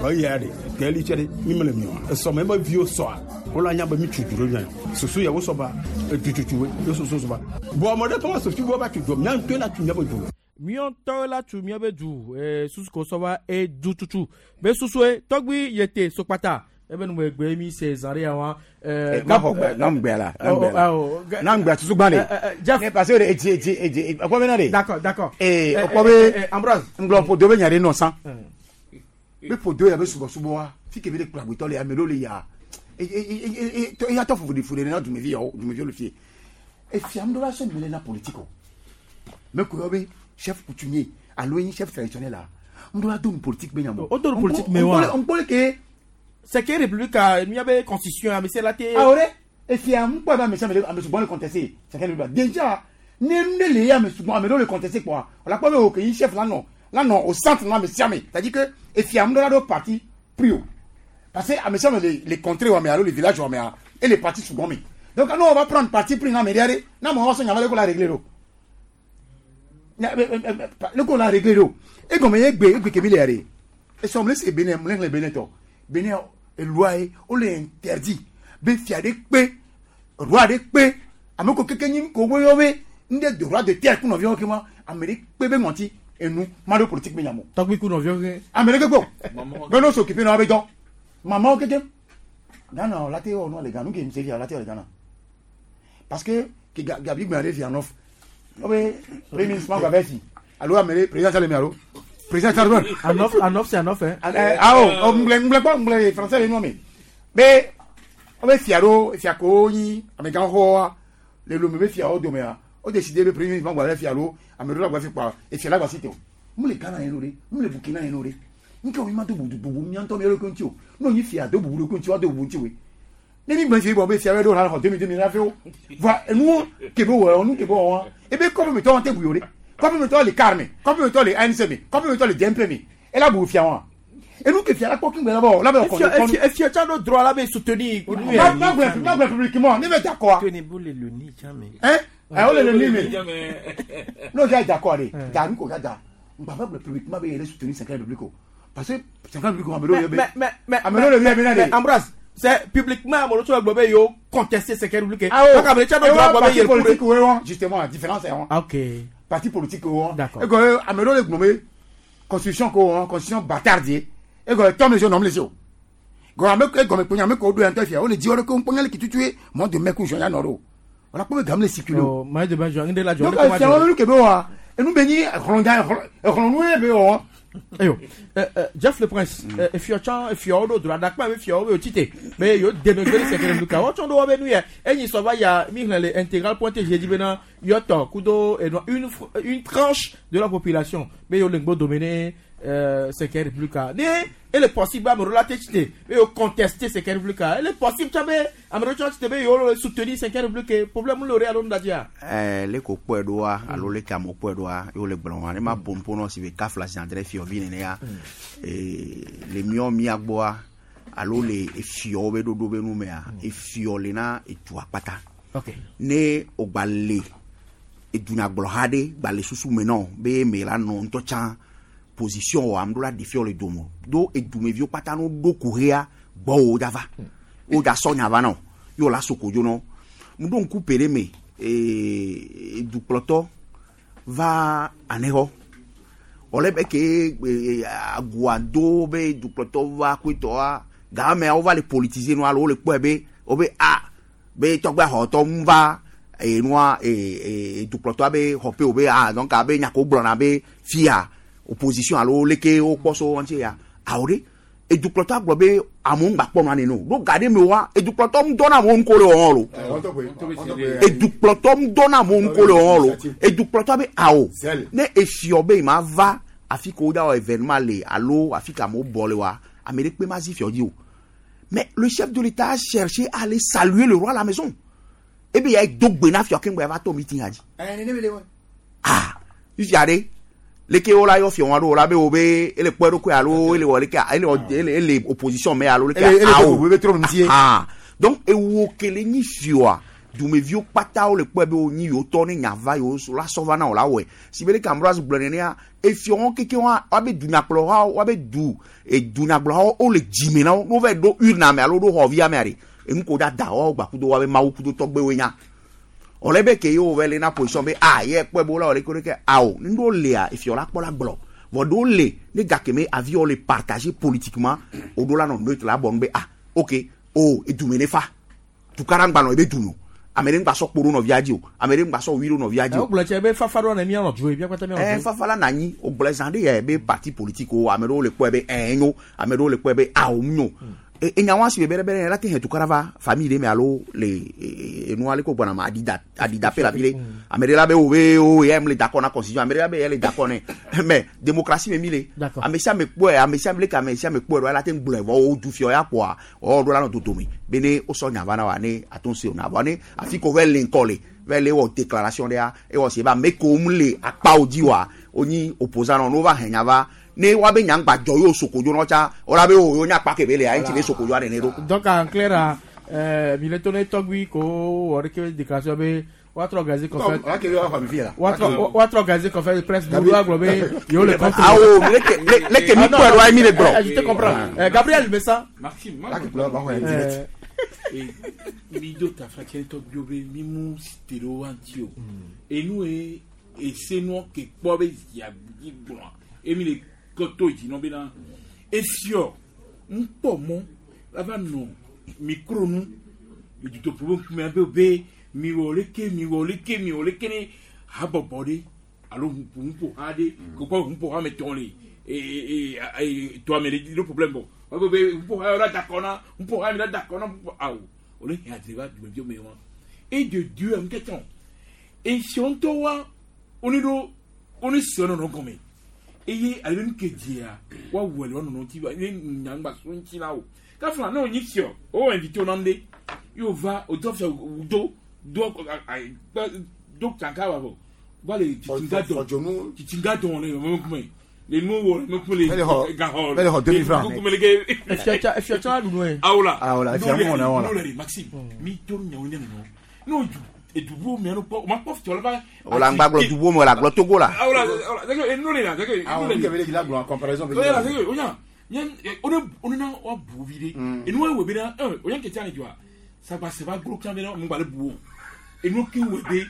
Speaker 7: eya ɖe ke eli tse ɖe mi mele mi wa esɔme be viwo sɔa wola nya be mi tsu du ɖe mia susu ya wo sɔ ba edututu ye susu sɔ ba bɔn ame ɖe kɔ ma sofi wo va tsu du mia ŋutɔe la tu miabe du.
Speaker 27: Miɔntɔ la tu miabe du susu ko sɔ va edu tutu be susue tɔgbui yete sokpata ebe nu egbe mi se zã ɖe ya wa.
Speaker 6: Nam gbɛ la, nam gbɛ la, nam gbɛ tutu gbã de.
Speaker 27: Jeff.
Speaker 6: Ne parce que edzi edzi edzi ɔkpɔ bɛ na de.
Speaker 27: D'accord, d'accord.
Speaker 6: Ee ɔkpɔ bɛ.
Speaker 27: Ambroise.
Speaker 6: Ŋgblɔ ƒodo bɛ nya ɖe nɔ san. Be ƒodo ya be subɔsubɔ wa fi ke be ɖe kplɔ agbetɔ le ame ɖewo le ya eya tɔ fufu fu ɖe na dumevi yawo dumeviwo le fie. Efia ŋutɔ la sɔ mi le na politique o. Me ko yɔ be chef coutumier alo enyi chef traditionnel la ŋutɔ la do nu politique be nya mo.
Speaker 27: O do nu politique me wa.
Speaker 6: Ŋkpɔ ke.
Speaker 27: C'est que république a miabe constitution ame se la te.
Speaker 6: Awɔ dɛ efia ŋkpɔ be ame sia ame ame sugbɔ le contester c'est que déjà ne ne le ye ame sugbɔ ame ɖewo le contester kpɔa o la kpɔ be o ke yi chef la nɔ la nɔ au centre na ame sia ame c'est à dire que efia ŋutɔ la ɖo parti pris o parce que ame sia ame le le contrée wa me alo le village wa mea et le parti sugbɔ me donc nous on va prendre parti pris na ame ɖe aɖe na amewo sɔ nya va le ko la régler do le ko la régler do egɔme ye gbe egbe kemi le ya de esɔm le se Benin mle xlẽ Benin tɔ Benin eloi ye wole interdit be fia ɖe kpe roi ɖe kpe ame ko keke nyi ko wo yɔ be ŋɖe de roi de terre ku nɔviawo ke ma ame ɖe kpe be ŋɔti enu ma ɖo politique be nyamo.
Speaker 27: Tɔgbi ku nɔviawo ke.
Speaker 6: Ame ɖe kpe o be no s'occuper na wo be dɔ mamawo keke Ghana la te wɔ nua le Ghana nu ke mise fia la te wɔ le Ghana parce que ke gabi gbɛn ɖe fia nɔf wo be premier ministre ma gba vɛ fi alo ame ɖe président le mi alo président Charles
Speaker 27: Anof Anof c'est Anof hein.
Speaker 6: Awo ŋgblẽ ŋgblẽ kpɔ ŋgblẽ français le nua me be wo be fia ɖo fia ko nyi amegã xoxoa le lome be fiawo domea wo décidé be premier ministre ma gba vɛ fi alo ame ɖewo la gba fi kpa efia la gba si te o mu le Ghana yẹn no ɖe mu le Burkina yẹn no ɖe nke wo mi ma do bubu bubu mía ŋutɔ mía ɖokui ŋuti o ne wonyi fia do bubu ɖokui ŋuti wa do bubu ŋuti woe ne mi gbɔn fi bɔ be fia bɛ ɖo la xɔ demi demi la fi wo va enuwo ke be wɔ nu ke be wɔ wa ebe kɔfe mi tɔ wɔn te bu yo ɖe kɔfe mi tɔ le car me kɔfe mi tɔ le ANC me kɔfe mi tɔ le DMP me ela bu fia wa enu ke fia la kpɔ kí gbɛ la bɔ la bɛ kɔn
Speaker 27: Efia tsa do droit la be soutenir.
Speaker 6: Ma ma gblɔ ma gblɔ publiquement ne bɛ d'accord. Hein ɛ o le le ni me n'o kɛ d'accord de da ni ko ka da n ba fɛ gblɔ publiquement bɛ yɛrɛ soutenir cinquième république o parce que cinquième république ame ɖewo yɛ be
Speaker 27: Mais
Speaker 6: ame ɖewo le yɛ be na de.
Speaker 27: Ambroise c'est publiquement ame ɖewo gblɔ be yewo contester cinquième république.
Speaker 6: Ah oh.
Speaker 27: Donc ame tsa do droit gblɔ be
Speaker 6: parti
Speaker 27: yɛrɛ
Speaker 6: politique wo wɔn justement la différence est wɔn.
Speaker 27: Ok.
Speaker 6: parti politique wo. Egɔ ame ɖewo le gblɔm be constitution ko wɔ constitution bâtard ye. Egɔ tɔ me le nɔm le si o. Gɔ ame egɔme kponya ame ko ɖo ya ŋutɔ fia wole dzi wɔɖe ko ŋkpɔnya le kitutu ye mɔ de mɛ ku zɔn ya nɔ ɖo. Wala kpɔ be game le circuler o.
Speaker 27: Mɔ de mɛ zɔn ŋɖe la jɔ.
Speaker 6: Donc fia wɔn nu ke be wa enu be nyi exlɔ̃dza exlɔ̃nu ye be wɔ.
Speaker 27: Eyo, Jeff le Prince, efiɔ tsã efiɔwo ɖo dro aɖakpa be fiɔwo be wotsi te be yewo de megbe ɖe sɛkɛrɛ nuka wɔtsɔ ɖo wɔbe nu yɛ enyi sɔ va ya mi xlẽ le intégral point tg dzi bena yɔtɔ kudo enɔ une une tranche de la population be yewo le ŋgbo dome ne sɛkɛrɛ république ne ele possible be ame ɖewo la te tsi te be yewo contester sɛkɛrɛ république ele possible tsã be ame ɖewo tsã tsi te be yewo soutenir sɛkɛrɛ république problème le o ɖe alo nu ɖadzia.
Speaker 11: Ɛɛ le ko kpɔe ɖoa alo le ke amewo kpɔe ɖoa ye wole gblɔ wa ne ma ƒo nuƒo nɔ si be kafla zi adre fiɔvi nene ya ee le míɔ mía gbɔa alo le efiɔwo be ɖoɖo be nu mea efiɔ le na edua kpata. Ne wògba le edunyagblɔha ɖe gba le susu me nɔ be me la nɔ ŋutɔ tsã position wɔ ame ɖo la ɖe fiɔ le dome do edumeviwo kpata no ɖo kuxia gbɔwò dza va wo dza sɔ nya va nɔ ye wòla so kodzo nɔ ŋɖo ŋku pe ɖe me ee dukplɔtɔ va anexɔ wòle be ke agua do be dukplɔtɔ va koetɔa gamea wova le politiser nua alo wole kpɔe be wobe a be tɔgbe xɔtɔ ŋu va enua ee dukplɔtɔa be xɔƒe wo be a donc abe nyako gblɔna be fia opposition alo leke wokpɔ so ŋuti ya awo ɖe edukplɔtɔa gblɔ be amewo ŋgba kpɔ nua nene o ɖo ga ɖe me wa edukplɔtɔ ŋu dɔ na amewo ŋko le wɔm lo edukplɔtɔ ŋu dɔ na amewo ŋko le wɔm lo edukplɔtɔa be awo ne efiɔ be ma va afi ko wo da wɔ événement le alo afi ka amewo bɔ le wa ame ɖe kpe ma zi fiɔ dzi o mais le chef de l'État a cherché à aller saluer le roi à la maison ebe ya do gbe na fiɔ keŋgbe ya va to meeting dzi ah fifia ɖe leke wo la yɔ fiɔ wa ɖo wo la be wo be ele kpɔ eɖokui alo ele wɔ leke ele wɔ ele ele opposition me alo leke
Speaker 6: awo
Speaker 11: ah donc ewo kele nyi fiɔa dumeviwo kpata wo le kpɔe be wo nyi yewo tɔ ne nya va yewo la sɔ va na wo la wɔe si be leke Ambroise gblɔ nenea efiɔ wɔn keke wa woabe dunyakplɔhawo woabe du edunyagblɔhawo wo le dzime na wo ne wo va ɖo urne me alo ɖo xɔvia mea ɖe enu ko da da woawo gba kudo woabe mawu kudo tɔgbewoe nya wòle be ke yewo va le na position be ah ye kpɔe be wola wɔ leke leke awo ne ɖewo lea efiɔ la kpɔ la gblɔ vɔ ɖewo le ne gake me aviwo le partager politiquement woɖo la nɔ neutre la bɔ nu be ah ok o edume ne fa tukara ŋgba nɔ ebe du no ame ɖe ŋgba sɔ kpo ɖo nɔvia dzi o ame ɖe ŋgba sɔ wi ɖo nɔvia dzi o.
Speaker 27: wogblɔ tse be fafa ɖo ne mianɔ du ye miakpata mianɔ du.
Speaker 11: Ɛ fafa la nanyi wogblɔ zã ɖe yɛ be parti politique o ame ɖewo le kpɔe be ɛ nyo ame ɖewo le kpɔe be awo nyo enya wa si be bɛrɛ bɛrɛ la te hɛn tukara va famille ɖe me alo le enua le ko gbɔna ma adida adida pe la fi ɖe ame ɖe la be wo be o yɛ le d'accord na constitution ame ɖe la be yɛ le d'accord nɛ mais démocratie me mi le ame sia ame kpɔe ame sia ame leke ame sia ame kpɔe ɖo la te gblɔe vɔ wo du fiɔ ya kpɔa wɔwɔ ɖo la nɔ dodome be ne wosɔ nya va na wa ne ato se o na vɔ ne afi ko va le ŋkɔ le va le wɔ déclaration ɖea ewɔ si be ame ko mu le akpawo dzi wa wonyi opposant nɔ ne wova hɛn nya va ne woabe nya ŋgba dzɔ yewo sokodzo nɔ tsa wola be o yewo nya akpa ke be lea eŋuti be sokodzo aɖe ne ɖo.
Speaker 27: Donc en clair mi le to ne tɔgbi ko wɔ ɖeke déclaration be woatrɔ organiser conférence woatrɔ organiser conférence de presse ɖoɖo agblɔ be yewo le contre.
Speaker 11: Awo leke leke mi kpɔe ɖo ayi mi le gblɔ.
Speaker 27: Je te comprends. Gabriel Messa.
Speaker 2: Maxime mi do tafa tiɛ tɔgbiwo be mi mu te ɖe wo ŋuti o enu ye ese nua ke kpɔ be zia dzi gblɔa emi le kɔtɔ dzi nɔ bena efiɔ ŋkpɔ mɔ la va nɔ micro nu le dutoƒo be ŋkume be be miwɔ leke miwɔ leke miwɔ leke ne habɔbɔ ɖe alo ŋuƒoha ɖe kokɔ ŋuƒoha me tɔn le ee tɔa me ɖe ɖo problème bɔ wɔbe be ŋuƒoha yɔ la da kɔ na ŋuƒoha mi la da kɔ na ŋuƒoha awo wòle hɛn adre va dumeviwo me wa et de Dieu en question efiɔ ŋutɔ wa wone ɖo wone se nɔnɔ gɔme eye ale be nu ke dzia woawɔ le woanɔnɔ ŋuti ne nyagba so ŋuti la o kafla ne wonyi fiɔ wowɔ invité wo nam ɖe ye wova wòdɔ fia wòdo do do tsaka wa vɔ va le tsitsinga dɔn tsitsinga dɔn le mɛmɛkume le nu wɔ le mɛkume le gaxɔ
Speaker 6: le xɔ 2000 francs
Speaker 2: kume le ke.
Speaker 27: Efiɔ tsa ɖu nu ye.
Speaker 2: Awola
Speaker 6: awola efia mu wɔna wɔna.
Speaker 2: N'o le Maxime mi to nyawo ne nɔ n'o ju edubuwo mɛ kpɔ o ma kpɔ fiɔ la va.
Speaker 11: O la ŋgba gblɔ dubuwo me o la gblɔ Togo la.
Speaker 2: Awola awola sɛgɛ enu le la sɛgɛ
Speaker 6: enu le. Awo kebe le la gblɔ en comparaison.
Speaker 2: O la sɛgɛ o nya nye o ne o ne na wa bu vi de. Enu wa wɔ be na ɛ o nya kɛtɛ ani jɔa sagbasɛ va glo kan be na mun gba le bu o enu ke wɔ be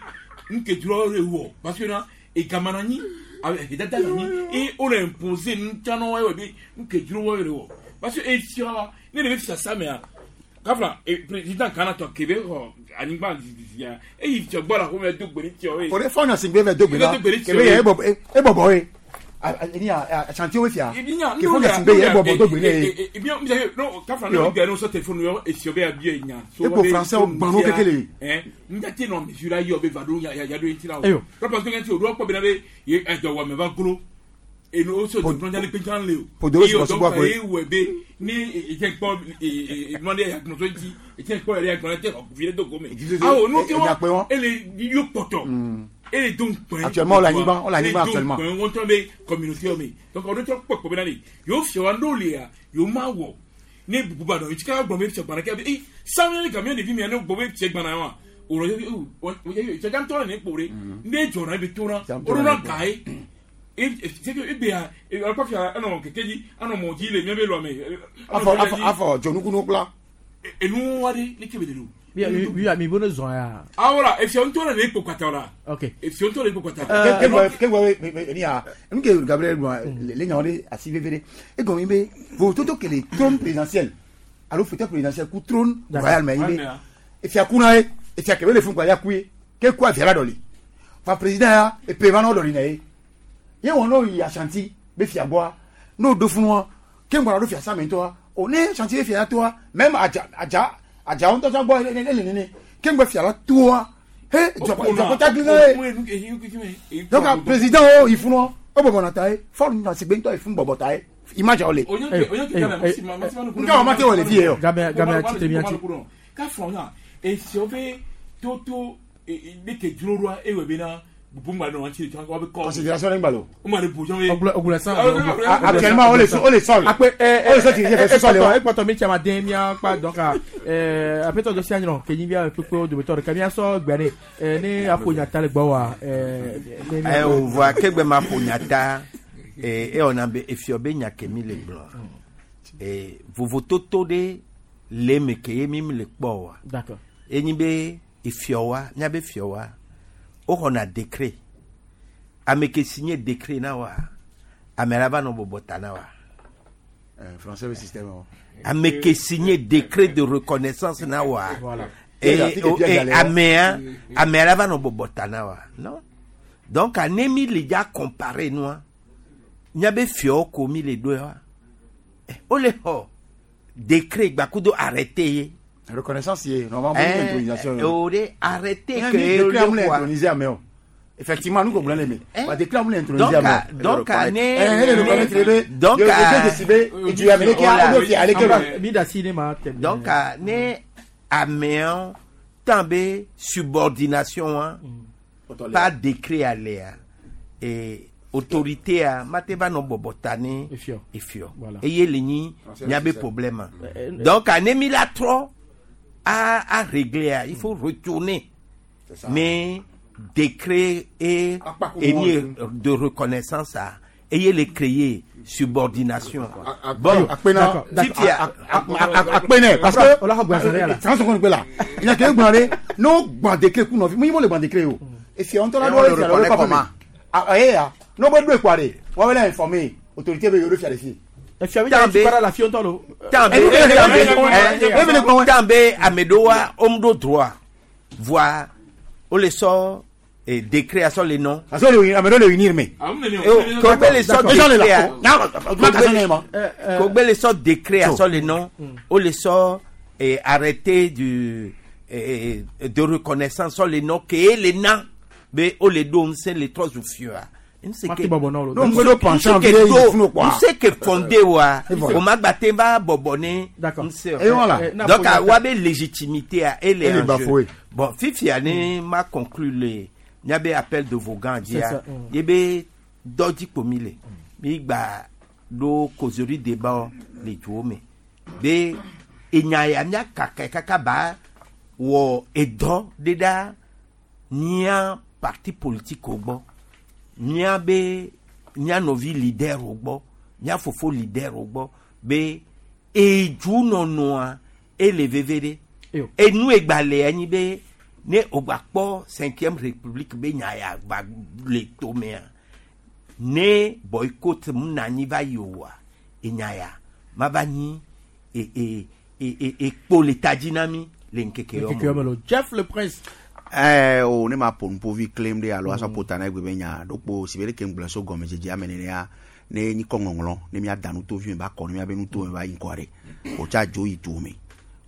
Speaker 2: nu ke dzro le wɔ parce que na Egamananyi edada nanyi e wole impose nutsana wa ewɔ be nuke dzro wa le wɔ parce que efia wa ne le be fia samea kafla président Ghana tɔ kebe xɔ anyigba zizia eyi fia gbɔ la xɔme do gbe ne fia
Speaker 6: wo. O de fɔ ɲɔsingbe fɛ do gbe la kebe yɛ e bɔbɔ ye ni a chantier wo fia ke fɔ ɲɔsingbe yɛ e bɔbɔ do gbe ne ye.
Speaker 2: Kafla ne bɛ ne sɔ téléphone yɔ efia bɛ abi nya.
Speaker 6: E ko français gbanu kekele.
Speaker 2: N jate nɔ mesure la yɔ be va do ya ya do ŋuti la o. Parce que ŋuti o do kpɔ bena be ye ɛdɔwɔme va glo enu o so dɔn jali pe can le o.
Speaker 6: Podoro sɔsɔ bɔ
Speaker 2: a ye wɛ be ni etiɛ kpɔ nɔde agbɔnsɔ ŋuti etiɛ kpɔ yɛrɛ agbɔn tɛ fi do gome. Awɔ n'o kɛ wa ele yɔ kpɔtɔ ele do nkpɛ.
Speaker 6: Actuellement o la anyigba o la anyigba actuellement.
Speaker 2: Ele do nkpɛ wɔn tɔ bɛ communauté mi donc ɔdo tɔ kpɔ kpɔ bɛ na de yóò fiyɛ wa n'o le ya yóò ma wɔ ne bubu ba dɔn itsi ka gbɔn bɛ fiyɛ gbana kɛ ee sanu kamiya de fi mi ya ne gbɔn bɛ fiyɛ gbana wa o rɔ cɛjan tɔ ne kpore ne jɔra bɛ tora o na ga ye ebe ya akɔfia ɛnɔ keke dzi ɛnɔ mɔ dzi le mía be lɔme.
Speaker 6: Afɔ afɔ afɔ dzonukunu kpla.
Speaker 2: Enu wa de ne kebe de do.
Speaker 27: Mi mi bono zɔn ya.
Speaker 2: Awɔ efia ŋutɔ le ne kpo kpata la.
Speaker 27: Ok.
Speaker 2: Efia ŋutɔ le kpo kpata.
Speaker 6: Ke ni ya nu ke Gabriel gblɔ le nyawo ɖe asi veve ɖe egɔme yi be vototo ke le trône présidentiel alo fauteuil présidentiel ku trône royal mɛ yi be efia kuna ye efia kebe le fún kpa ya ku ye ke ku avia la dɔli fa président ya epe va n'o dɔli na ye ye wɔn n'o yi Ashanti be fia gbɔa n'o do fún wa ke ŋgbɔna do fia sami tɔa o ne Ashanti be fia ya toa même adza adza adza ŋutɔ tsã gbɔ ele ele nene ke ŋgbɛ fia la toa he dzɔkɔta gli na ye donc président o yi fún wa o bɔbɔ na ta ye fɔlɔ na sigbe ŋutɔ yi fún bɔbɔ ta ye image awo le. Nka o ma te wɔ le fi ye o.
Speaker 27: Game game ati temi ati.
Speaker 2: Ka fɔ na esi be toto ne ke dzro ɖoa ewɔ bena bubu ŋgba nɔ ŋuti wa be kɔ.
Speaker 6: Considération ne ŋgba lo.
Speaker 2: O ma de bojan ye.
Speaker 27: Ogulɛ san.
Speaker 6: Actuellement o le o le sol.
Speaker 27: Akpe
Speaker 6: o le sol ti fɛ sɔsɔ le wa.
Speaker 27: Ekpɔtɔ mi tsama den mia kpa dɔn ka apɛtɔ dɔ si anyinɔ ke nyi bia kpekpe dometɔ ɖeka mia sɔ gbɛ ne ne aƒo nyata le gbɔ wa.
Speaker 4: Ɛ o voa kegbe ma ƒo nyata e wɔna be efiɔ be nya ke mi le gblɔ vovototo ɖe le eme ke ye mi le kpɔ wa.
Speaker 27: D'accord.
Speaker 4: Enyi be efiɔ wa miabe fiɔ wa woxɔna décret ame ke signé décret na wa ame la va nɔ bɔbɔ ta na wa.
Speaker 6: Français be système o.
Speaker 4: Ame ke signé décret de reconnaissance na wa.
Speaker 6: Voilà.
Speaker 4: Et amea amea la va nɔ bɔbɔ ta na wa non donc ane mi le dza comparer nua miabe fiɔwo ko mi le ɖo wa wole xɔ décret gbakudo arrêté ye.
Speaker 6: Reconnaissance ye normalement intronisation.
Speaker 4: O de arrêté
Speaker 6: ke décret amu le introniser ame o. Effectivement nous comprenons les mais. Ba décret amu le introniser ame
Speaker 4: o. Donc ne
Speaker 6: donc du amele ke o do fi ale ke
Speaker 27: mi da si ne ma tɛmɛ.
Speaker 4: Donc ne amewo tan be subordination wa pas décret alea et autorité a mate va nɔ bɔbɔ ta ne efiɔ eye le nyi miabe problème donc ane mi la trɔ à régler il faut retourner mais décret et de reconnaissance à ayez les créer subordination
Speaker 6: bon akpene parce que 30 secondes là il y a que gbɔn no gbɔn décret kun nɔfi mo le gbɔn décret o efiɔ ŋutɔ la do efia la o kɔ ah eh ya n'o bɛ do ekua de wɔn bɛ informer autorité bɛ yɔrɔ fia de fi.
Speaker 27: Efia bi jaa para la fiɔ ŋutɔ lo.
Speaker 4: Tan be ame ɖewo wa wo ɖo droit voa wole sɔ décret asɔ le nɔ.
Speaker 6: Asɔ le ame ɖewo le unir me.
Speaker 4: Kogbe le sɔ décret kogbe le sɔ décret asɔ le nɔ wole sɔ arrêté du de reconnaissance sɔ le nɔ ke le na be wole ɖo ŋusẽ le trɔ zu fiɔa. Nse ke fondé wa o ma gba te va bɔbɔ ne nse o donc wa be légitimité a ele en jeu bon fifia ne ma conclure le miabe appel de Vogan dia ye be dɔ dzi mi le mi gba ɖo causerie débat le duwo me be enya ya mia kaka kaka ba wɔ edɔ ɖe ɖa mia parti politique wo gbɔ mía be mía nɔvi leader wo gbɔ mía fofo leader wo gbɔ be edunɔnɔa ele veve ɖe enu egbalẽa nyi be Ne o gba kpɔ cinquième république be nya ya gba le tomea ne boycott mu na anyi va yi oa enya ya ma va nyi e e e e ekpo le ta dzi na mi le ŋkeke yɔ
Speaker 27: Ŋkeke yɔ me lo. Jeff le Prince.
Speaker 11: Ɛɛ o ne ma ƒo nuƒovi klem ɖe alo asɔ ƒo ta na egbe be nya ɖokpo si be ɖeke ŋgblẽ so gɔmedzedzea me nenea ne nyikɔ ŋɔŋlɔ ne míada nutovi me ba kɔ ne míabe nuto me va yi ŋkɔa ɖe wòtsa dzo yi duwo me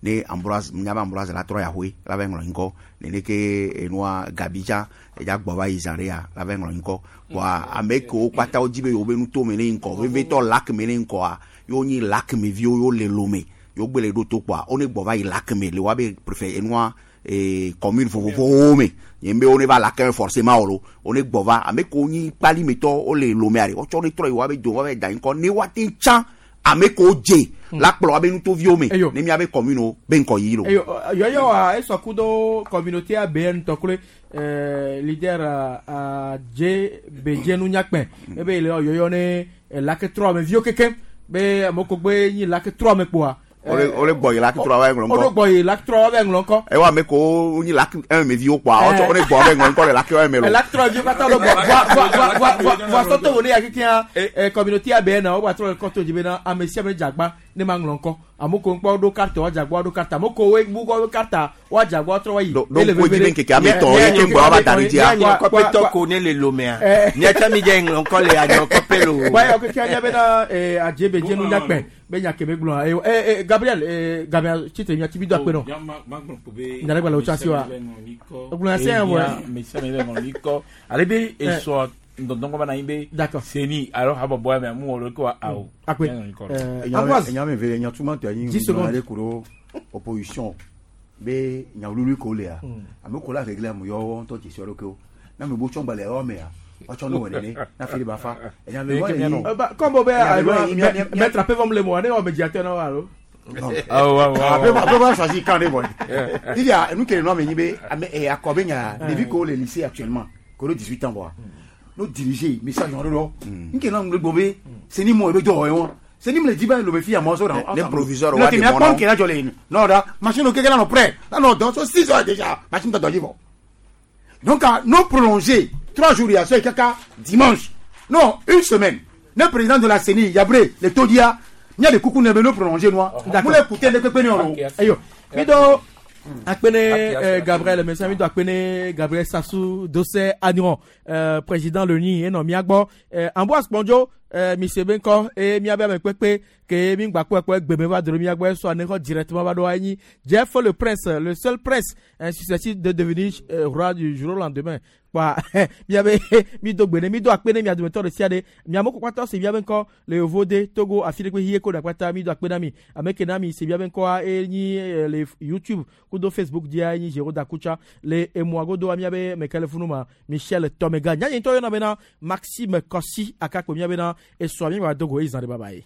Speaker 11: ne Ambroise míabe Ambroise la trɔ yaxoe la va ŋlɔ ŋkɔ nene ke enua Gabi tsã edza gbɔ va yi zã ɖea la va ŋlɔ ŋkɔ kpoa ame kewo kpata wodzi be yewo be nuto me ne yi ŋkɔ vevitɔ lac me ne yi ŋkɔa yewo nyi lac me viwo yewo le Lome yewo gbe le ɖo to kpoa wo ne gbɔ va yi lac me le woabe préfet enua commune vovovowo me nye be wo ne va lac me forcément o lo wo ne gbɔ va ame kewo nyi kpalimetɔ wo le Lomea ɖe wotsɔ ne trɔ yi woabe do woabe da ŋkɔ ne woate tsã ame kewo dze la kplɔ woabe nutoviwo me ne miabe commune wo be ŋkɔ yi lo.
Speaker 27: Eyo yɔyɔ wa esɔ kudo communauté ABN tɔkle leader a dze bedze nunyakpɛ ebe le yɔyɔ ne lac trɔ me viwo keke be amewo gbe nyi lac trɔ me kpoa.
Speaker 11: Wole gbɔ yi lac trɔ wa ŋlɔ ŋkɔ.
Speaker 27: Wole gbɔ yi lac trɔ wa ŋlɔ ŋkɔ.
Speaker 11: Ewa ame kewo nyi lac un me viwo kpoa wotsɔ wole gbɔ wa ŋlɔ ŋkɔ le lac un me lo.
Speaker 27: Lac trɔ viwo katã le gbɔ voa voa voa voa voa sɔtɔ wo ne ya kekeŋ communauté ABN wo gba trɔ le kɔto dzi bena ame sia ame dzagba ne ma ŋlɔ ŋkɔ ame ko ŋkpɔ ɖo carte wa dzagba ɖo carte ame ko wo bu kɔ carte wa dzagba wa trɔ wa yi.
Speaker 11: Ɖo ŋku edzi be ŋkeke ame tɔn ye ke ŋgbɔ wa va da ɖe dzia.
Speaker 4: Mianye kɔpetɔ ko ne le Lomea miatsa mi dze ŋlɔ ŋkɔ le anyɔ kɔpe lo.
Speaker 27: Wa yɔ kekeŋ nya bena adze be dze nunyakpɛ be nya keme gblɔa Gabriel Gabriel tsitre nya tibi do akpe nɔ. Nya ɖe gba le wò tsɔ asi wa. Egblɔ nya sia vɔ.
Speaker 2: Mesia me ŋlɔ ŋkɔ ale be esɔ ŋdɔdɔn kɔ na anyi be.
Speaker 27: D'accord.
Speaker 2: Seni alo habɔbɔ ya me mu wɔ ɖe ko awo.
Speaker 27: Akpe.
Speaker 6: Ambroise. Enya me ve nya tuma tɔ anyi.
Speaker 27: 10 secondes.
Speaker 6: Ale kuro opposition be nya wululu ko lea. Ame ko la régler am yɔ ŋutɔ dzesi ɖo kewo. Na me bo tsɔ gbalẽ yɔ mea. Woatsɔ nu wɔ nene. Na fi ba fa. Enya me wɔ ne
Speaker 27: Comme be maître ape vom le mo ne wɔ médiateur na wa alo.
Speaker 6: Après, on va choisir quand on est Il y a nous qui nous avons ame akɔ be nya ɖevi ko le lycée actuellement ko le 18 ans quoi. Nos diriger message on lo. Nke na ngbe be c'est ni mo be do yo. C'est ni me le dit ba lo me fi a mo so
Speaker 11: Les proviseurs
Speaker 6: wa
Speaker 11: wa
Speaker 6: de
Speaker 11: de
Speaker 6: mon
Speaker 11: mon
Speaker 6: nom. Qui la jolé. Non da machine o keke la no prêt. La non dans 6 heures déjà machine doit bon. Donc à nous prolonger 3 jours il y a ce kaka dimanche. Non, une semaine. Le président de la CENI, Yabré, le Todia, il y a des coucou ne nous prolonger moi. Vous l'écoutez le pépé non.
Speaker 27: Ayo. Mi do akpene Gabriel Messa mi do akpene Gabriel Sassou Dossé Agnon président loni eno miagbɔ Ambroise Kpondjo mi se be ŋkɔ eye miabe ame kpekpe ke mi gba kpɔ ekpɔ gbeme va dro miagbɔ esɔ ne xɔ directement va ɖo anyi Jeff le prince, le seul prince susceptible de devenir roi du jour au lendemain kpa miabe mi do gbe ne mi do akpe ne mia dometɔ ɖe sia ɖe miamewo kpakpatɔ se miabe ŋkɔ le Yovode Togo afi ɖe kpe hie ko ɖe akpata mi do akpe na mi ame ke na mi se miabe ŋkɔa enyi le YouTube kudo Facebook dzia enyi Jero Dakucha le emua godoa miabe meke le funu ma Michel Tomega nyanyi ŋutɔ yɔna bena Maxime Kossi akakpo miabe na esɔa mi gba dogo eye zã ɖe baba ye.